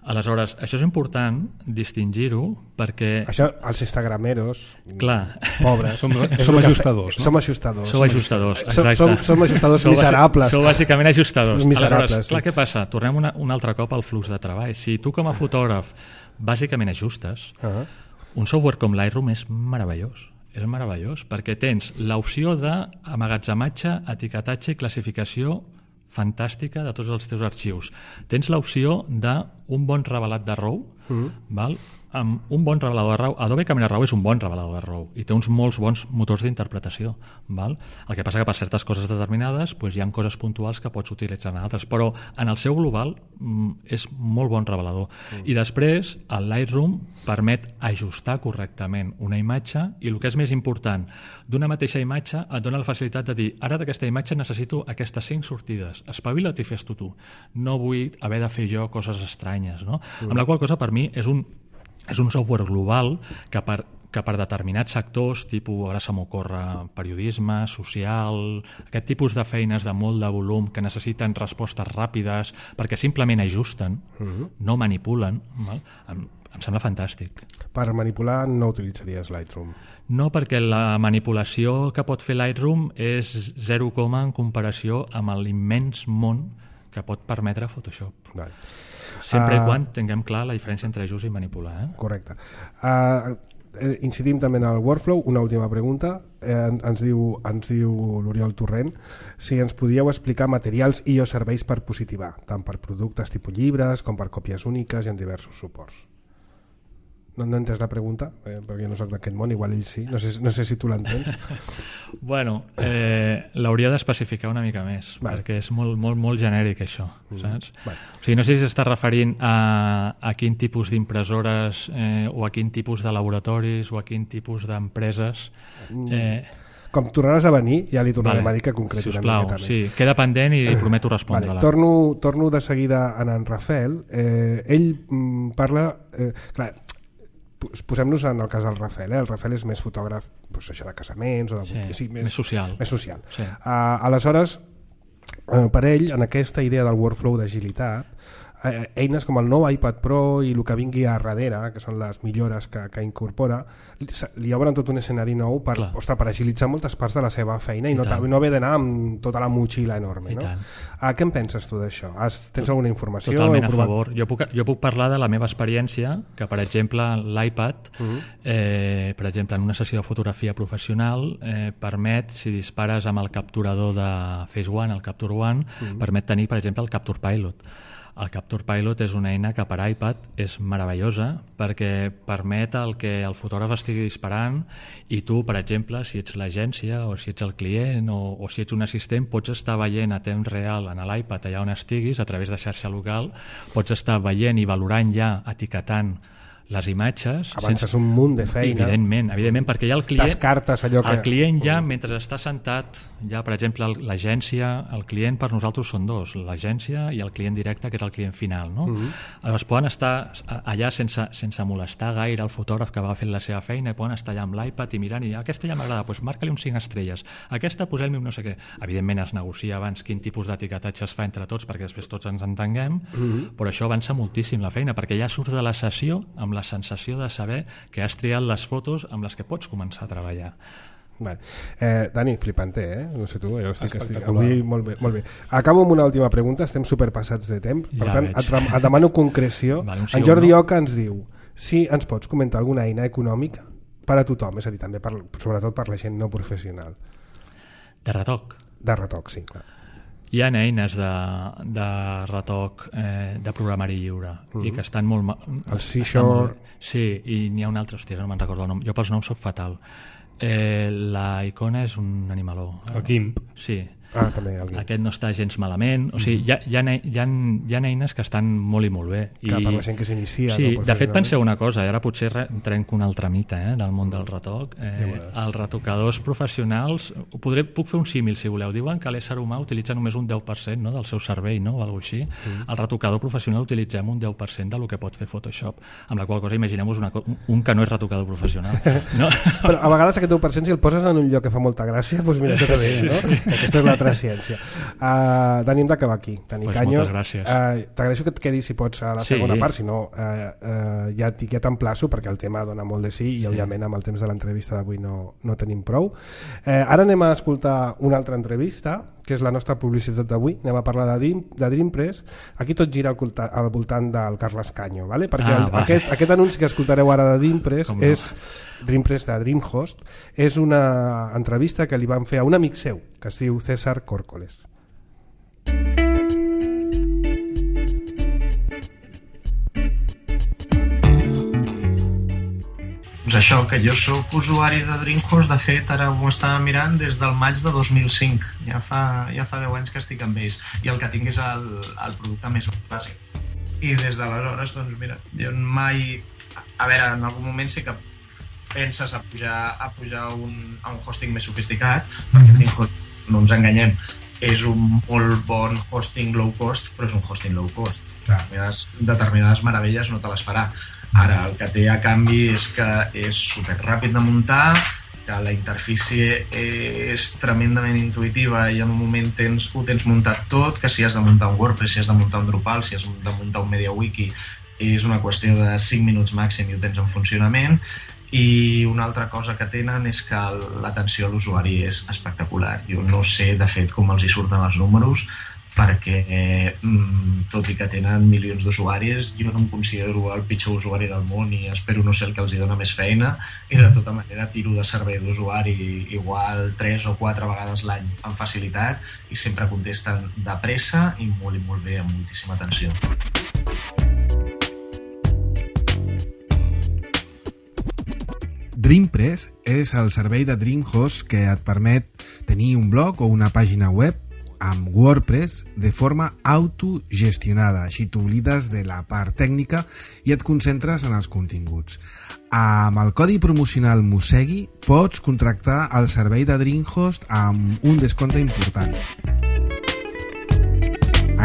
Aleshores, això és important distingir-ho perquè... Això, els instagrameros, clar, pobres... Som, som ajustadors, no? Som ajustadors. Som ajustadors, exacte. Som, som ajustadors miserables. Sou bàsicament ajustadors. Miserables. Aleshores, clar, què passa? Tornem una, un altre cop al flux de treball. Si tu com a fotògraf bàsicament ajustes, uh -huh. un software com Lightroom és meravellós. És meravellós, perquè tens l'opció d'amagatzematge, etiquetatge i classificació fantàstica de tots els teus arxius. Tens l'opció d'un bon revelat de RAW, mm. val? amb un bon revelador de raw, Adobe Camera Raw és un bon revelador de raw i té uns molts bons motors d'interpretació, val? El que passa que per certes coses determinades doncs hi ha coses puntuals que pots utilitzar en altres, però en el seu global és molt bon revelador. Mm. I després el Lightroom permet ajustar correctament una imatge i el que és més important, d'una mateixa imatge et dona la facilitat de dir, ara d'aquesta imatge necessito aquestes cinc sortides, espavila't i fes-ho tu, no vull haver de fer jo coses estranyes, no? Mm. Amb la qual cosa per mi és un, és un software global que per, que per determinats sectors, tipus, ara se m'ocorre periodisme, social, aquest tipus de feines de molt de volum que necessiten respostes ràpides perquè simplement ajusten, mm-hmm. no manipulen, val? Em, em sembla fantàstic. Per manipular no utilitzaries Lightroom? No, perquè la manipulació que pot fer Lightroom és zero coma en comparació amb l'immens món que pot permetre Photoshop. Vale. Sempre uh, i quan tinguem clar la diferència entre ajust i manipular. Eh? Correcte. Uh, eh, incidim també en el workflow. Una última pregunta. Eh, ens diu, ens diu l'Oriol Torrent si ens podíeu explicar materials i o serveis per positivar, tant per productes tipus llibres com per còpies úniques i en diversos suports. No, no he entès la pregunta, eh, perquè no soc d'aquest món, igual ell sí, no sé, no sé si tu l'entens. Bueno, eh, l'hauria d'especificar una mica més, vale. Perquè és molt, molt, molt genèric això, mm. saps? Vale. O sigui, no sé si s'està referint a, a quin tipus d'impressores eh, o a quin tipus de laboratoris o a quin tipus d'empreses... Eh, Com tornaràs a venir, ja li tornarem vale. a dir que concreti una miqueta més. Sí, queda pendent i prometo respondre-la. Vale. Torno, torno de seguida a en Rafael. Eh, ell mm, parla... Eh, clar, posem-nos en el cas del Rafael, eh? El Rafael és més fotògraf doncs, això de casaments o de... sí, sí, més, més social, més social. Sí. Uh, aleshores uh, per ell en aquesta idea del workflow d'agilitat eh, eines com el nou iPad Pro i el que vingui a darrere, que són les millores que, que incorpora, li obren tot un escenari nou per, ostres, per agilitzar moltes parts de la seva feina i, I no, no haver d'anar amb tota la motxilla enorme. No? Uh, què en penses tu d'això? Tens alguna informació? Totalment a favor. Jo puc, jo puc parlar de la meva experiència, que per exemple l'iPad, uh-huh. eh, per exemple en una sessió de fotografia professional, eh, permet, si dispares amb el capturador de Phase One, el Capture One, uh-huh. permet tenir, per exemple, el Capture Pilot. El Capture Pilot és una eina que per iPad és meravellosa perquè permet el que el fotògraf estigui disparant i tu, per exemple, si ets l'agència o si ets el client o, o si ets un assistent, pots estar veient a temps real en l'iPad allà on estiguis, a través de xarxa local, pots estar veient i valorant ja, etiquetant les imatges. Avances sense... un munt de feina. Evidentment, evidentment perquè ja el client... Descartes allò que... El client ja, mentre està sentat, ja, per exemple, l'agència, el client per nosaltres són dos, l'agència i el client directe, que és el client final, no? Mm-hmm. Llavors poden estar allà sense, sense molestar gaire el fotògraf que va fent la seva feina i poden estar allà amb l'iPad i mirant i aquesta ja m'agrada, doncs marca-li un cinc estrelles, aquesta posem-li un no sé què. Evidentment es negocia abans quin tipus d'etiquetatge es fa entre tots perquè després tots ens entenguem, mm-hmm. però això avança moltíssim la feina perquè ja surts de la sessió amb la sensació de saber que has triat les fotos amb les que pots començar a treballar. Vale. Eh, Dani, flipante, eh? No sé tu, jo estic, estic avui molt bé, molt bé. Acabo amb una última pregunta, estem superpassats de temps, per ja tant et, et demano concreció. Vale, sí en Jordi no? Oca ens diu si ens pots comentar alguna eina econòmica per a tothom, és a dir, també per, sobretot per la gent no professional. De retoc? De retoc, sí, clar. Hi ha eines de, de retoc eh, de programari lliure mm-hmm. i que estan molt... El Seashore... Sí, i n'hi ha un altre, hòstia, no me'n recordo el nom. Jo pels noms soc fatal. Eh, la Icona és un animaló. El Gimp. Sí. Ah, també, aquest no està gens malament, o sigui, hi ha, hi, ha, hi, ha, hi ha eines que estan molt i molt bé i... que per la gent que s'inicia sí, no, de fet penseu una cosa, i ara potser trenco un altre mite eh, del món del retoc eh, els retocadors professionals podré, puc fer un símil si voleu, diuen que l'ésser humà utilitza només un deu per cent no, del seu cervell no, o alguna cosa així, mm. el retocador professional utilitzem un deu per cent del que pot fer Photoshop, amb la qual cosa imaginem-vos una, un que no és retocador professional no? Però a vegades aquest deu per cent si el poses en un lloc que fa molta gràcia doncs mira, això també, no? Sí, sí. Aquesta és la ciència. Uh, Dani, hem d'acabar aquí. Dani pues Canyo, moltes gràcies. Uh, t'agraeixo que et quedis, si pots, a la sí. segona part, si no, uh, uh, ja, ja t'emplaço, perquè el tema dona molt de sí, i sí. òbviament amb el temps de l'entrevista d'avui no, no tenim prou. Uh, ara anem a escoltar una altra entrevista, que és la nostra publicitat d'avui. Anem a parlar de, Dream, de Dreampress. Aquí tot gira al, al voltant del Carles Canyo, ¿vale? perquè ah, el, vale. aquest, aquest anunci que escoltareu ara de Dreampress no? és Dreampress de Dreamhost, és una entrevista que li van fer a un amic seu que es diu César Córcoles. Doncs això, que jo sóc usuari de DreamHost, de fet, ara ho estava mirant des del maig de dos mil cinc. Ja fa, ja fa deu anys que estic amb ells. I el que tinc és el, el producte més bàsic. I des d'aleshores, doncs mira, jo mai... A veure, en algun moment sí que penses a pujar, a pujar un, a un hosting més sofisticat, perquè DreamHost, no ens enganyem, és un molt bon hosting low cost, però és un hosting low cost. Determinades, determinades meravelles no te les farà. Ara, el que té a canvi és que és super ràpid de muntar, que la interfície és tremendament intuïtiva i en un moment tens, ho tens muntat tot, que si has de muntar un WordPress, si has de muntar un Drupal, si has de muntar un MediaWiki, és una qüestió de cinc minuts màxim i ho tens en funcionament. I una altra cosa que tenen és que l'atenció a l'usuari és espectacular. Jo no sé, de fet, com els hi surten els números, perquè tot i que tenen milions d'usuaris, jo no em considero el pitjor usuari del món i espero no ser el que els hi dona més feina, i de tota manera tiro de servei d'usuari igual tres o quatre vegades l'any amb facilitat i sempre contesten de pressa i molt i molt bé, amb moltíssima atenció. DreamPress és el servei de DreamHost que et permet tenir un blog o una pàgina web amb WordPress de forma autogestionada, així t'oblides de la part tècnica i et concentres en els continguts. Amb el codi promocional Musegui pots contractar el servei de DreamHost amb un descompte important.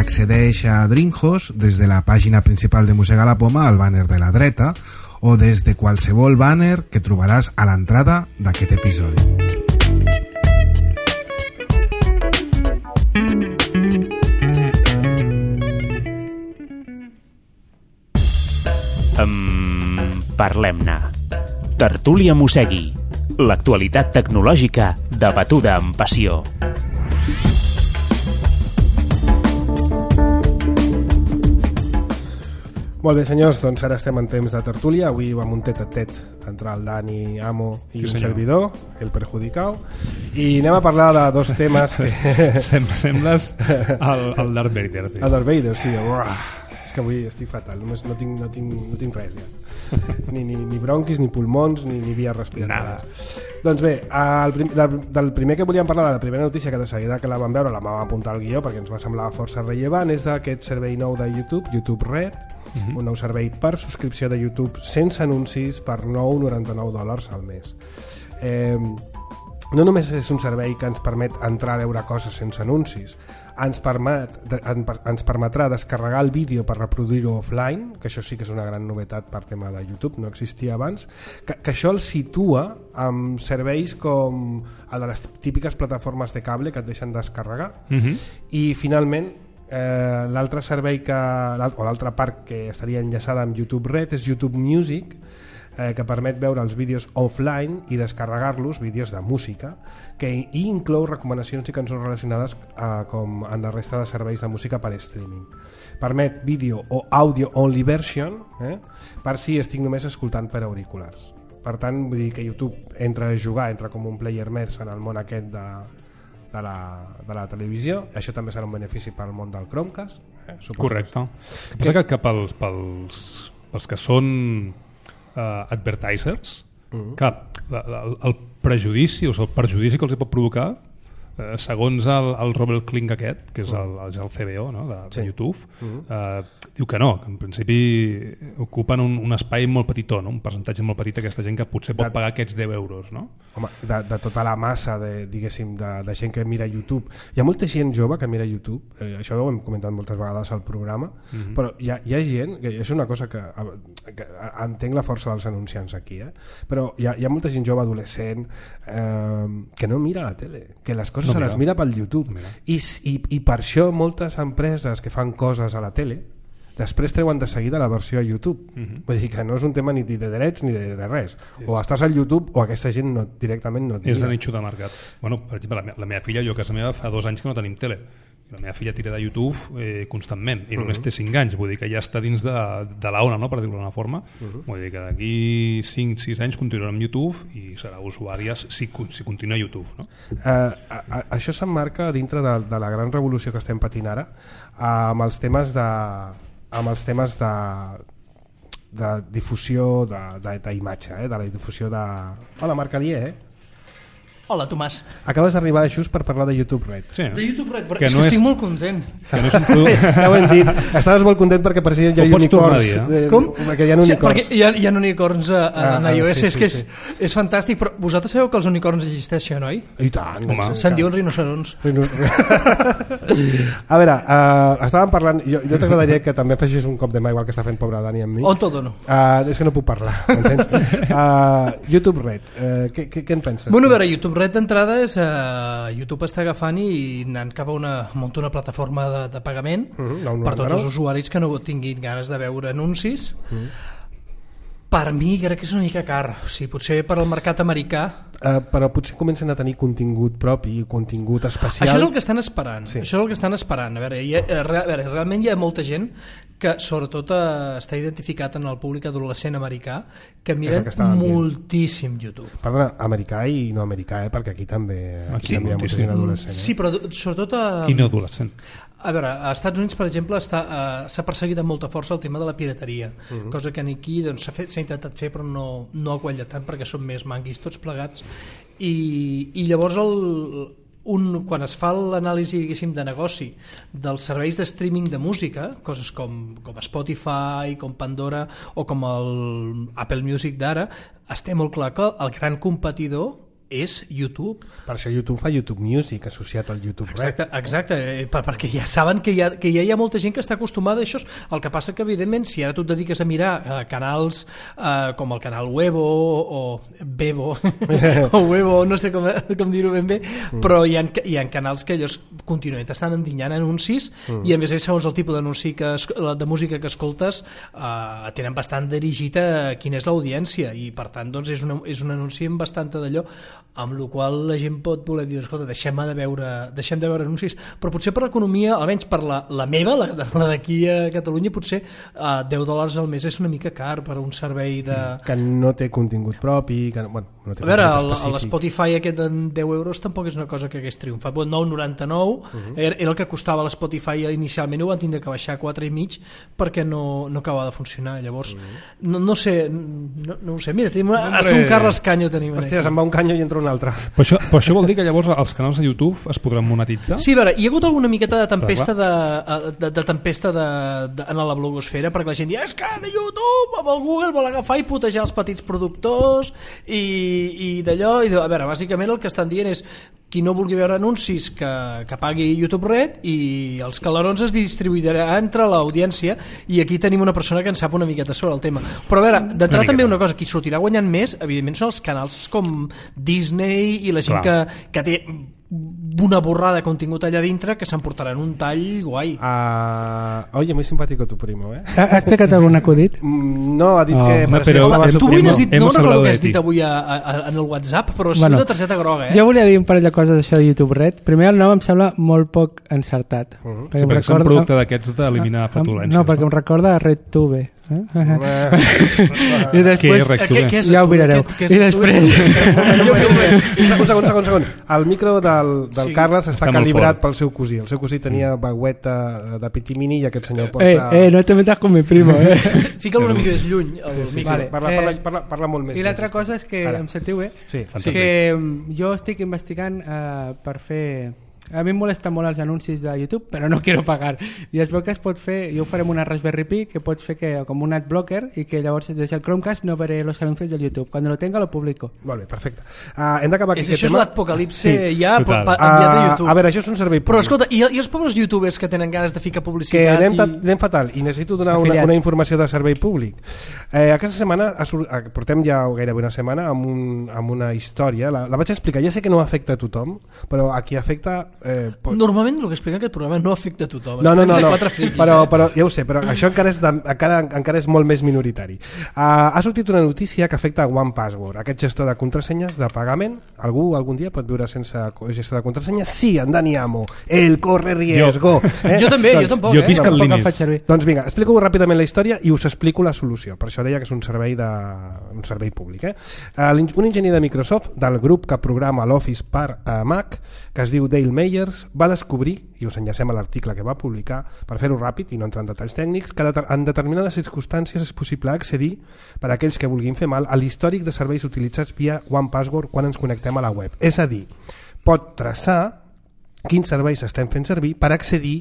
Accedeix a DreamHost des de la pàgina principal de Mossega la Poma al bàner de la dreta o des de qualsevol bàner que trobaràs a l'entrada d'aquest episodi. Um, Parlem-ne. Tertúlia Musegui. L'actualitat tecnològica debatuda amb passió. Molt bé, senyors, doncs ara estem en temps de tertúlia. Avui vam un tet-a-tet entre el Dani Amo i sí, un servidor, el perjudicau, i anem a parlar de dos temes que... Sempre sembles el, el Darth Vader. Tio. El Darth Vader, sí. Uah. És que avui estic fatal, només no tinc, no tinc, no tinc res ja. Ni, ni, ni bronquis, ni pulmons, ni, ni vies respiratòries. Doncs bé, el prim, del, del primer que volíem parlar, de la primera notícia que de seguida que la vam veure, la vam apuntar al guió perquè ens va semblar força rellevant, és d'aquest servei nou de YouTube, YouTube Red, uh-huh. un nou servei per subscripció de YouTube sense anuncis per nou coma noranta-nou dòlars al mes. Eh, no només és un servei que ens permet entrar a veure coses sense anuncis, ens, permet, ens permetrà descarregar el vídeo per reproduir-ho offline, que això sí que és una gran novetat per tema de YouTube, no existia abans, que, que això el situa amb serveis com el de les típiques plataformes de cable que et deixen descarregar. Uh-huh. I finalment eh, l'altre servei que, o l'altra part que estaria enllaçada amb YouTube Red és YouTube Music, eh, que permet veure els vídeos offline i descarregar-los, vídeos de música, que i inclou recomanacions i cançons relacionades eh, com en la resta de serveis de música per streaming. Permet vídeo o audio only version, eh, per si estic només escoltant per auriculars. Per tant, vull dir que YouTube entra a jugar, entra com un player més en el món aquest de, de, la, de la televisió. Això també serà un benefici per al món del Chromecast. Eh, correcte. Que passa que, que pels, pels, pels que són uh, advertisers, uh-huh. que la, la, el prejudici o el perjudici que els pot provocar, eh, segons el, el Robert Kling aquest, que és el, el, el C B O, no? de, sí. de YouTube, uh-huh. eh, diu que no, que en principi ocupen un, un espai molt petitó, no? Un percentatge molt petit aquesta gent que potser pot de, pagar aquests deu euros. No? Home, de, de tota la massa de, diguéssim, de, de gent que mira YouTube. Hi ha molta gent jove que mira YouTube, eh, això ho hem comentat moltes vegades al programa, uh-huh. però hi ha, hi ha gent, que és una cosa que, que entenc la força dels anunciants aquí, eh? però hi ha, hi ha molta gent jove adolescent eh, que no mira la tele, que les coses no se les mira pel YouTube. No I, i, I per això moltes empreses que fan coses a la tele després treuen de seguida la versió a YouTube. Uh-huh. Vull dir que no és un tema ni de drets ni de, de res. Sí, o estàs al YouTube o aquesta gent no, directament no et mira. És de nicho de mercat. Bueno, per exemple, la, me, la meva filla, jo a casa meva fa dos anys que no tenim tele. La meva filla tira de YouTube eh, constantment i només uh-huh. té cinc anys, vull dir que ja està dins de, de la ona, no? Per dir-ho d'una forma. Uh-huh. Vull dir que d'aquí cinc sis anys continuarà amb YouTube i serà usuària si, si continua a YouTube. No? Uh, a, a, això s'emmarca dintre de, de la gran revolució que estem patint ara uh, amb els temes de amb els temes de de la difusió d'imatge, eh? De la difusió de... Hola, Marc Alier, eh? Hola, Tomàs. Acabes d'arribar just per parlar de YouTube Red. Sí. De YouTube Red, però que és no que és... estic molt content. Que no és un producte... Ja ho hem dit. Estaves molt content perquè per si hi ha unicorns. Dir, eh? Com? Perquè hi ha unicorns. Sí, perquè hi ha, hi ha unicorns a, a, Ah, a iOS, sí, és sí, que és, sí. és fantàstic, però vosaltres sabeu que els unicorns existeixen, oi? I tant. Home. Se'n diuen rinocerons. A veure, uh, estàvem parlant... Jo, jo t'agradaria que també fessis un cop de mà igual que està fent pobre Dani amb mi. On te'l dono? Uh, és que no puc parlar, m'entens? Uh, YouTube Red, uh, què, què, què en penses? Bueno, a veure, YouTube Red d'entrada és... Uh, YouTube està agafant i anant cap a una, munta una plataforma de, de pagament uh-huh, per tots els usuaris que no tinguin ganes de veure anuncis. Uh-huh. Per mi crec que és una mica car, o sigui, potser per al mercat americà. Uh, però potser comencen a tenir contingut propi, contingut especial. Això és el que estan esperant. Sí. Això és el que estan esperant. A veure, hi ha, a veure, realment hi ha molta gent que sobretot eh, està identificat en el públic adolescent americà que miren que moltíssim YouTube. Perdona, americà i no americà, eh? Perquè aquí també, aquí Sí, també hi ha molta moltíssim. gent adolescent. Eh? Sí, però sobretot a... I no adolescent. A veure, als Estats Units, per exemple, està, uh, s'ha perseguit amb molta força el tema de la pirateria, uh-huh. cosa que aquí doncs, s'ha, fet, s'ha intentat fer però no, no ha quallat tant perquè són més manguis tots plegats i, i llavors el, un, quan es fa l'anàlisi de negoci dels serveis de streaming de música, coses com, com Spotify, com Pandora o com el Apple Music d'ara, es té molt clar que el gran competidor és YouTube. Per això YouTube fa YouTube Music associat al YouTube Red. Exacte, exacte eh, per, perquè ja saben que, hi ha, que ja hi ha molta gent que està acostumada a això. El que passa que evidentment si ara tu et dediques a mirar eh, canals eh, com el canal Webo o Bebo o Webo, no sé com, com dir-ho ben bé, mm. però hi ha, hi ha canals que ells contínuament estan endinyant anuncis mm. i a més a més segons el tipus d'anunci que es, de música que escoltes eh, tenen bastant dirigit a quina és l'audiència i per tant doncs, és, una, és un anunci amb bastanta d'allò amb la qual la gent pot voler dir escolta, deixem de veure, deixem de veure anuncis, però potser per l'economia, almenys per la, la meva, la, la d'aquí a Catalunya, potser uh, deu dòlars al mes és una mica car per a un servei de... Que no té contingut propi, que bueno, no té a veure, l'Spotify aquest de deu euros tampoc és una cosa que hagués triomfat. nou coma noranta-nou uh-huh. era, era el que costava l'Spotify inicialment, ho van tindre que baixar a quatre i mig perquè no, no acabava de funcionar. Llavors, uh-huh. no, no sé, no, no ho sé. Mira, tenim una, hasta un Carles Canyo tenim. Hòstia, se'n va un canyo i entra un altre. Però això, però això vol dir que llavors els canals de YouTube es podran monetitzar? Sí, a veure, hi ha hagut alguna miqueta de tempesta de, de, de tempesta de, de, en la blogosfera perquè la gent diu, és que a YouTube amb el Google vol agafar i putejar els petits productors i, i d'allò, i de, a veure, bàsicament el que estan dient és qui no vulgui veure anuncis que, que pagui YouTube Red i els calarons es distribuirà entre l'audiència i aquí tenim una persona que en sap una miqueta sobre el tema. Però a veure, d'entrada també una cosa, qui sortirà guanyant més evidentment són els canals com Disney i la gent que, que té una borrada de contingut allà dintre que s'emportaran un tall guai. Uh, oye, muy simpático tu primo, eh? Has explicat algun acudit? Mm, no, ha dit Oh. que... No, però estava hem- su Tu avui primo. n'has dit, no Hemos recordo hablado què de has dit ti. avui a, a, en el WhatsApp, però ha sigut Bueno, de targeta groga, eh? Jo volia dir un parell de coses d'això de YouTube Red. Primer, el nom em sembla molt poc encertat. Uh -huh. Sí, perquè és un producte d'aquests d'eliminar flatulències. No, perquè em recorda a RedTube. Eh? I després, Què és RedTube? Què, què és ja ho tu? mirareu. Què- què és I tu? després... Un segon, segon, segon. El micro del, del Sí. Carles està, Està molt calibrat fort. pel seu cosí. El seu cosí tenia bagueta de pitimini i aquest senyor porta... Eh, eh, no te metas con mi primo, eh? Fica'l una mica més lluny, el Sí, micro. Vale. parla, Eh, parla, parla, parla molt més. I l'altra lent, cosa és que Ara. em sentiu bé? Sí, Fantàstic. Que mm, jo estic investigant uh, per fer... A mi em molesta molt els anuncis de YouTube, però no quiero pagar. I es veu que es pot fer, jo ho faré amb una Raspberry Pi, que pots fer que, com un adblocker i que llavors des del Chromecast no veré los anuncios del YouTube. Cuando lo tenga lo publico. Molt bé, perfecte. Uh, hem d'acabar aquí És, aquest això és tema. l'apocalipse Sí, ja total. pa, pa, enviat a Uh, YouTube. a veure, això és un servei Però públic. escolta, i, i els pobres youtubers que tenen ganes de ficar que publicitat anem, ta- i... anem fatal i necessito donar una, Afiliats. una informació de servei públic. Eh, aquesta setmana ha sur- eh, portem ja gairebé una setmana amb, un, amb una història, la, la vaig explicar, ja sé que no afecta a tothom, però a qui afecta... Eh, pot... Normalment el que explica aquest programa no afecta a tothom. No, no, no, Afecta no. quatre friquis, però, eh? però ja ho sé, però això encara és, de, encara, encara és molt més minoritari. Uh, ha sortit una notícia que afecta a One Password, aquest gestor de contrasenyes de pagament. Algú algun dia pot viure sense gestor de contrasenyes? Sí, en Dani Amo, el corre riesgo. Eh? Jo també, doncs, jo tampoc, jo eh? aquí és que el Tampoc em límit. faig servir. Doncs vinga, explico ràpidament la història i us explico la solució. Per això deia que és un servei, de, un servei públic. Eh? Uh, un enginyer de Microsoft del grup que programa l'Office per uh, Mac, que es diu Dale May, Meyers va descobrir, i us enllacem a l'article que va publicar, per fer-ho ràpid i no entrar en detalls tècnics, que en determinades circumstàncies és possible accedir, per a aquells que vulguin fer mal, a l'històric de serveis utilitzats via OnePassword quan ens connectem a la web. És a dir, pot traçar quins serveis estem fent servir per accedir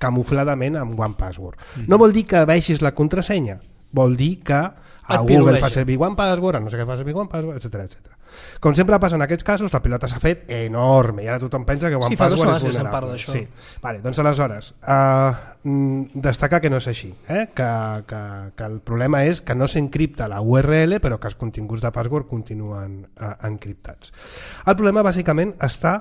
camufladament amb OnePassword. Mm-hmm. No vol dir que vegis la contrasenya, vol dir que a Google fa servir OnePassword, a no sé què fa servir OnePassword, etcètera, etcètera. Com sempre passa en aquests casos, la pilota s'ha fet enorme i ara tothom pensa que OnePassword sí, és vulnerable. Se'n parla d'això. Sí. Vale, doncs aleshores, uh, destacar que no és així, eh? que, que, que el problema és que no s'encripta la U R L però que els continguts de password continuen uh, encriptats. El problema bàsicament està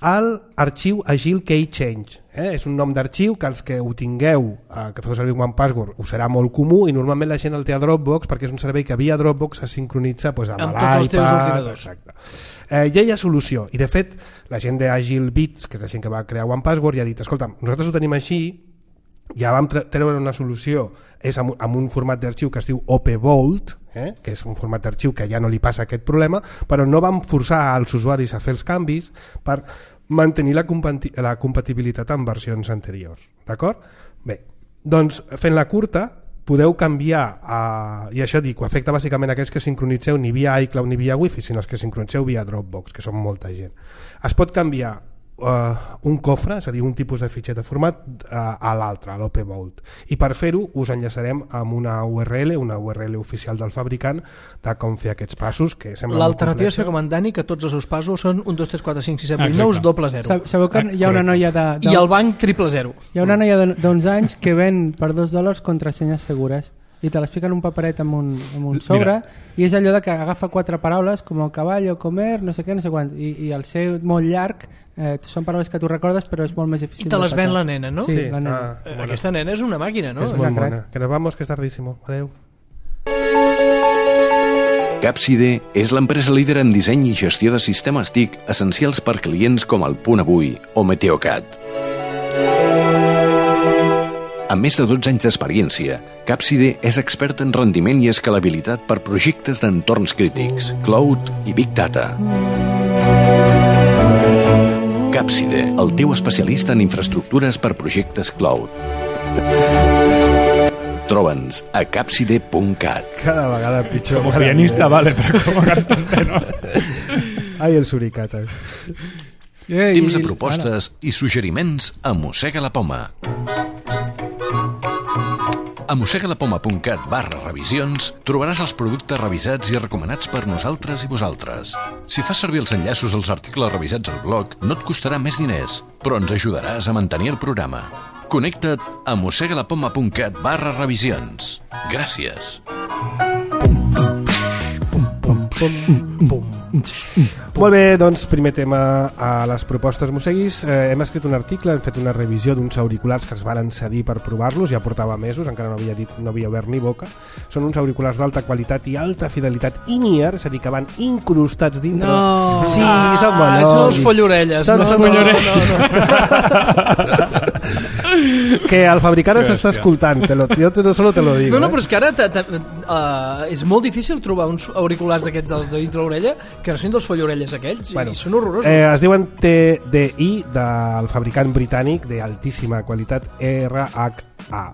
al arxiu Agile Key Change. Eh? És un nom d'arxiu que els que ho tingueu, eh, que feu servir OnePassword, us serà molt comú i normalment la gent el té a Dropbox perquè és un servei que via Dropbox es sincronitza pues, amb, amb tots els teus ordinadors. Exacte. Eh, ja hi ha solució i de fet la gent d'Agile Bits, que és la gent que va crear OnePassword, ja ha dit, escolta, nosaltres ho tenim així, ja vam treure una solució, és amb, amb un format d'arxiu que es diu OpVault, eh? que és un format d'arxiu que ja no li passa aquest problema, però no vam forçar als usuaris a fer els canvis per mantenir la, compati la compatibilitat amb versions anteriors. D'acord? Bé, doncs fent la curta podeu canviar, a, i això dic, ho afecta bàsicament a aquells que sincronitzeu ni via iCloud ni via Wi-Fi, sinó els que sincronitzeu via Dropbox, que són molta gent. Es pot canviar Uh, un cofre, és a dir, un tipus de fitxer de format uh, a l'altre, a l'OpVault, i per fer-ho us enllaçarem amb una U R L, una U R L oficial del fabricant de com fer aquests passos, que sembla l'alternativa és fer com en Dani, que tots els seus passos són un, dos, tres, quatre, cinc, sis, set, vuit, nou, doble zero. Sabeu que hi ha una noia de, de... i el banc triple zero. Hi ha una noia d'uns anys que ven per dos dòlars contrasenyes segures i te les fica en un paperet amb un, amb un sobre. Mira. I és allò de que agafa quatre paraules com el cavall o comer, no sé què, no sé quant, i, i al ser molt llarg eh, són paraules que tu recordes però és molt més difícil. I te les ven la nena, no? Sí, sí la nena. Ah, eh, aquesta nena és una màquina, no? És molt bona. Que nos vamos, que és tardísimo. Adeu. Capside és l'empresa líder en disseny i gestió de sistemes T I C essencials per clients com el Punt Avui o Meteocat. Amb més de dotze anys d'experiència, Capside és expert en rendiment i escalabilitat per projectes d'entorns crítics, cloud i big data. Capside, el teu especialista en infraestructures per projectes cloud. Troba'ns a capside punt cat. Cada vegada pitjor. Com a pianista, vale, però com a cantante no. Ai, el suricata. Temps de propostes i suggeriments a Mossega la Poma. A mossegalapoma punt cat barra revisions trobaràs els productes revisats i recomanats per nosaltres i vosaltres. Si fas servir els enllaços als articles revisats al blog, no et costarà més diners, però ens ajudaràs a mantenir el programa. Connecta't a mossegalapoma punt cat barra revisions. Gràcies. Molt bé, doncs primer tema a les propostes mosseguis. Eh, hem escrit un article, hem fet una revisió d'uns auriculars que es varen cedir per provar-los, ja portava mesos, encara no havia dit, no havia obert ni boca. Són uns auriculars d'alta qualitat i alta fidelitat in-ear, és a dir, que van incrustats dintre. No. Sí, ah, són bons. Són els follorelles. Són, no, són no, follorelles. No, no. Que el fabricant ens està escoltant, te lo, jo te, no solo te lo digo. No, no, eh? però és que ara t -t uh, és molt difícil trobar uns auriculars d'aquests dels de dintre l'orella que no són dels follorelles aquells, bueno, i són horrorosos. Eh, es diuen T D I del fabricant britànic d'altíssima qualitat R H A.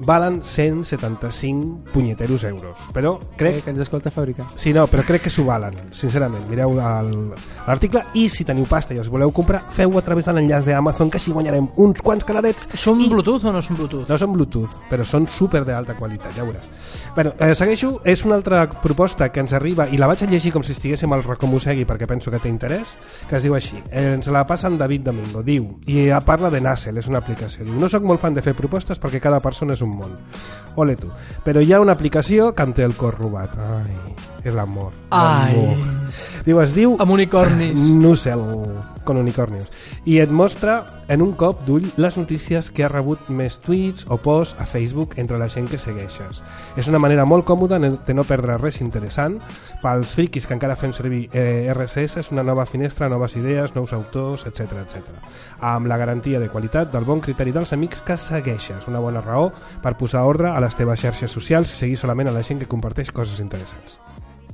Valen cent setanta-cinc punyeteros euros, però crec... Eh, que ens escolta fabricar. Sí, no, però crec que s'ho valen, sincerament. Mireu l'article i si teniu pasta i els voleu comprar, feu-ho a través de l'enllaç d'Amazon, que així guanyarem uns quants calarets. Són i... Bluetooth o no són Bluetooth? No són Bluetooth, però són super d'alta qualitat, ja veuràs. Bueno, eh, segueixo, és una altra proposta que ens arriba, i la vaig a llegir com si estiguéssim al Racomosegui perquè penso que té interès, que es diu així. Eh, ens la passa en David Domingo, diu, i parla de Nassel, és una aplicació. Diu, no sóc molt fan de fer propostes perquè cada persona és un món. Ole tu. Però hi ha una aplicació que em té el cor robat. Ai, és l'amor. Ai. Diu, es diu... Amb unicornis. Nussel, con unicornios. I et mostra en un cop d'ull les notícies que ha rebut més tweets o posts a Facebook entre la gent que segueixes. És una manera molt còmoda de no perdre res interessant. Pels friquis que encara fem servir eh, R S S, és una nova finestra, noves idees, nous autors, etcètera, etcètera. Amb la garantia de qualitat del bon criteri dels amics que segueixes. Una bona raó per posar ordre a les teves xarxes socials i seguir solament a la gent que comparteix coses interessants.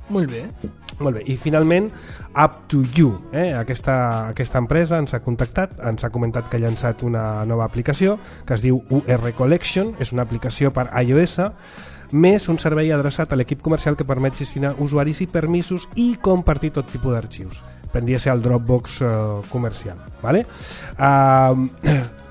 Molt bé. Molt bé, i finalment Up to You, eh? aquesta, aquesta empresa ens ha contactat, ens ha comentat que ha llançat una nova aplicació que es diu U R Collection, és una aplicació per iOS, més un servei adreçat a l'equip comercial que permet gestionar usuaris i permisos i compartir tot tipus d'arxius. Pendria ser el Dropbox eh, comercial, ¿vale? Uh,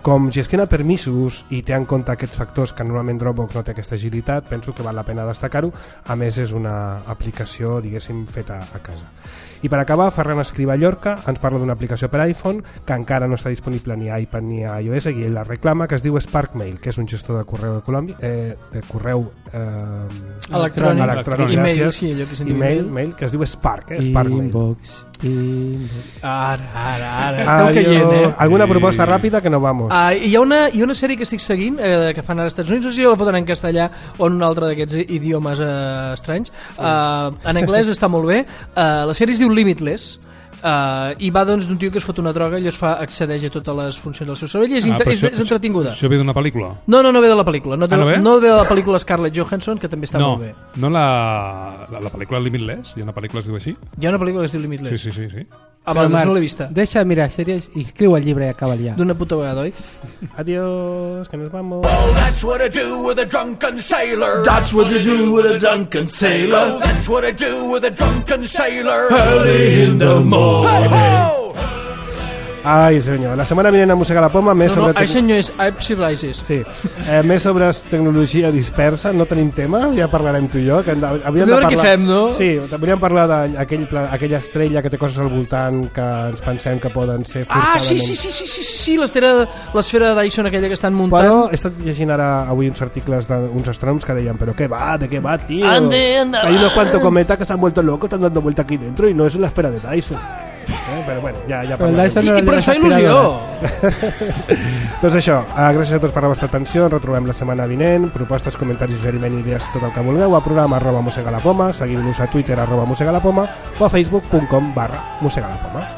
com gestiona permisos i té en compte aquests factors que normalment Dropbox no té aquesta agilitat, penso que val la pena destacar-ho. A més, és una aplicació, diguéssim, feta a casa. I per acabar, Ferran Escrivà Llorca ens parla d'una aplicació per iPhone que encara no està disponible ni a iPad ni a iOS, i ell la reclama, que es diu Spark Mail, que és un gestor de correu, eh, de correu eh, electrònic, electrònic email, gràcies, sí, allò que se'n diu email, email. mail, que es diu Spark, eh? Spark Mail. Inbox, inbox. Ara, ara, ara, esteu caient, eh? Alguna proposta ràpida que no vamos. Uh, hi, ha una, hi ha una sèrie que estic seguint eh, que fan als Estats Units, no sé si la foten en castellà o en un altre d'aquests idiomes eh, estranys. Uh, en anglès està molt bé. Uh, la sèrie es diu Limitless. Uh, i va doncs d'un tio que es fot una droga i es fa accedeix a totes les funcions del seu cervell i és, Ah, inter però és, això- és entretinguda. Això ve d'una pel·lícula? No, no, no ve de la pel·lícula, no, de, Ah, no ve? no ve de la pel·lícula Scarlett Johansson, que també està no, molt bé. no la, la, la pel·lícula Limitless? Hi ha una pel·lícula que es diu així? Hi ha una pel·lícula que es diu Limitless. Sí, sí, sí, sí. Ah, Però, va, doncs Marc, no l'he vista. Deixa de mirar sèries i escriu el llibre i acaba ja. D'una puta vegada, oi? Adiós, que nos vamos. Well, that's what I do with a drunken sailor. That's what you do with a drunken sailor. Well, that's what I do with a drunken sailor. Early in the morning. Hey-ho! Ai, senyor, la setmana vinent a Mossega la Poma més No, no, sobre... ai senyor, és Ipsy Rises. Sí, eh, més sobre tecnologia dispersa, no tenim tema, ja parlarem tu i jo. Que hem de, havíem A de veure parlar... què fem, no? Sí, hauríem parlar d'aquella aquell estrella que té coses al voltant que ens pensem que poden ser Ah, forçadament... sí, sí, sí, sí, sí, sí, sí l'esfera l'esfera Dyson aquella que estan muntant. Però he estat llegint ara avui uns articles d'uns astrònoms que deien però què va, de què va, tío? Ande, anda, Hay unos va. cuantos cometas que se han vuelto locos, están dando vuelta aquí dentro y no es la esfera de Dyson. Eh, però bueno, ja, ja Però el parlarem. Dyson I, no i però era ens fa l'aspiradora. il·lusió. Doncs això, eh, gràcies a tots per la vostra atenció, ens retrobem la setmana vinent, propostes, comentaris, suggeriment, idees, tot el que vulgueu, a programa arroba mossega la poma, seguim-nos a Twitter arroba mossega la poma o a facebook punt com barra mossega la poma.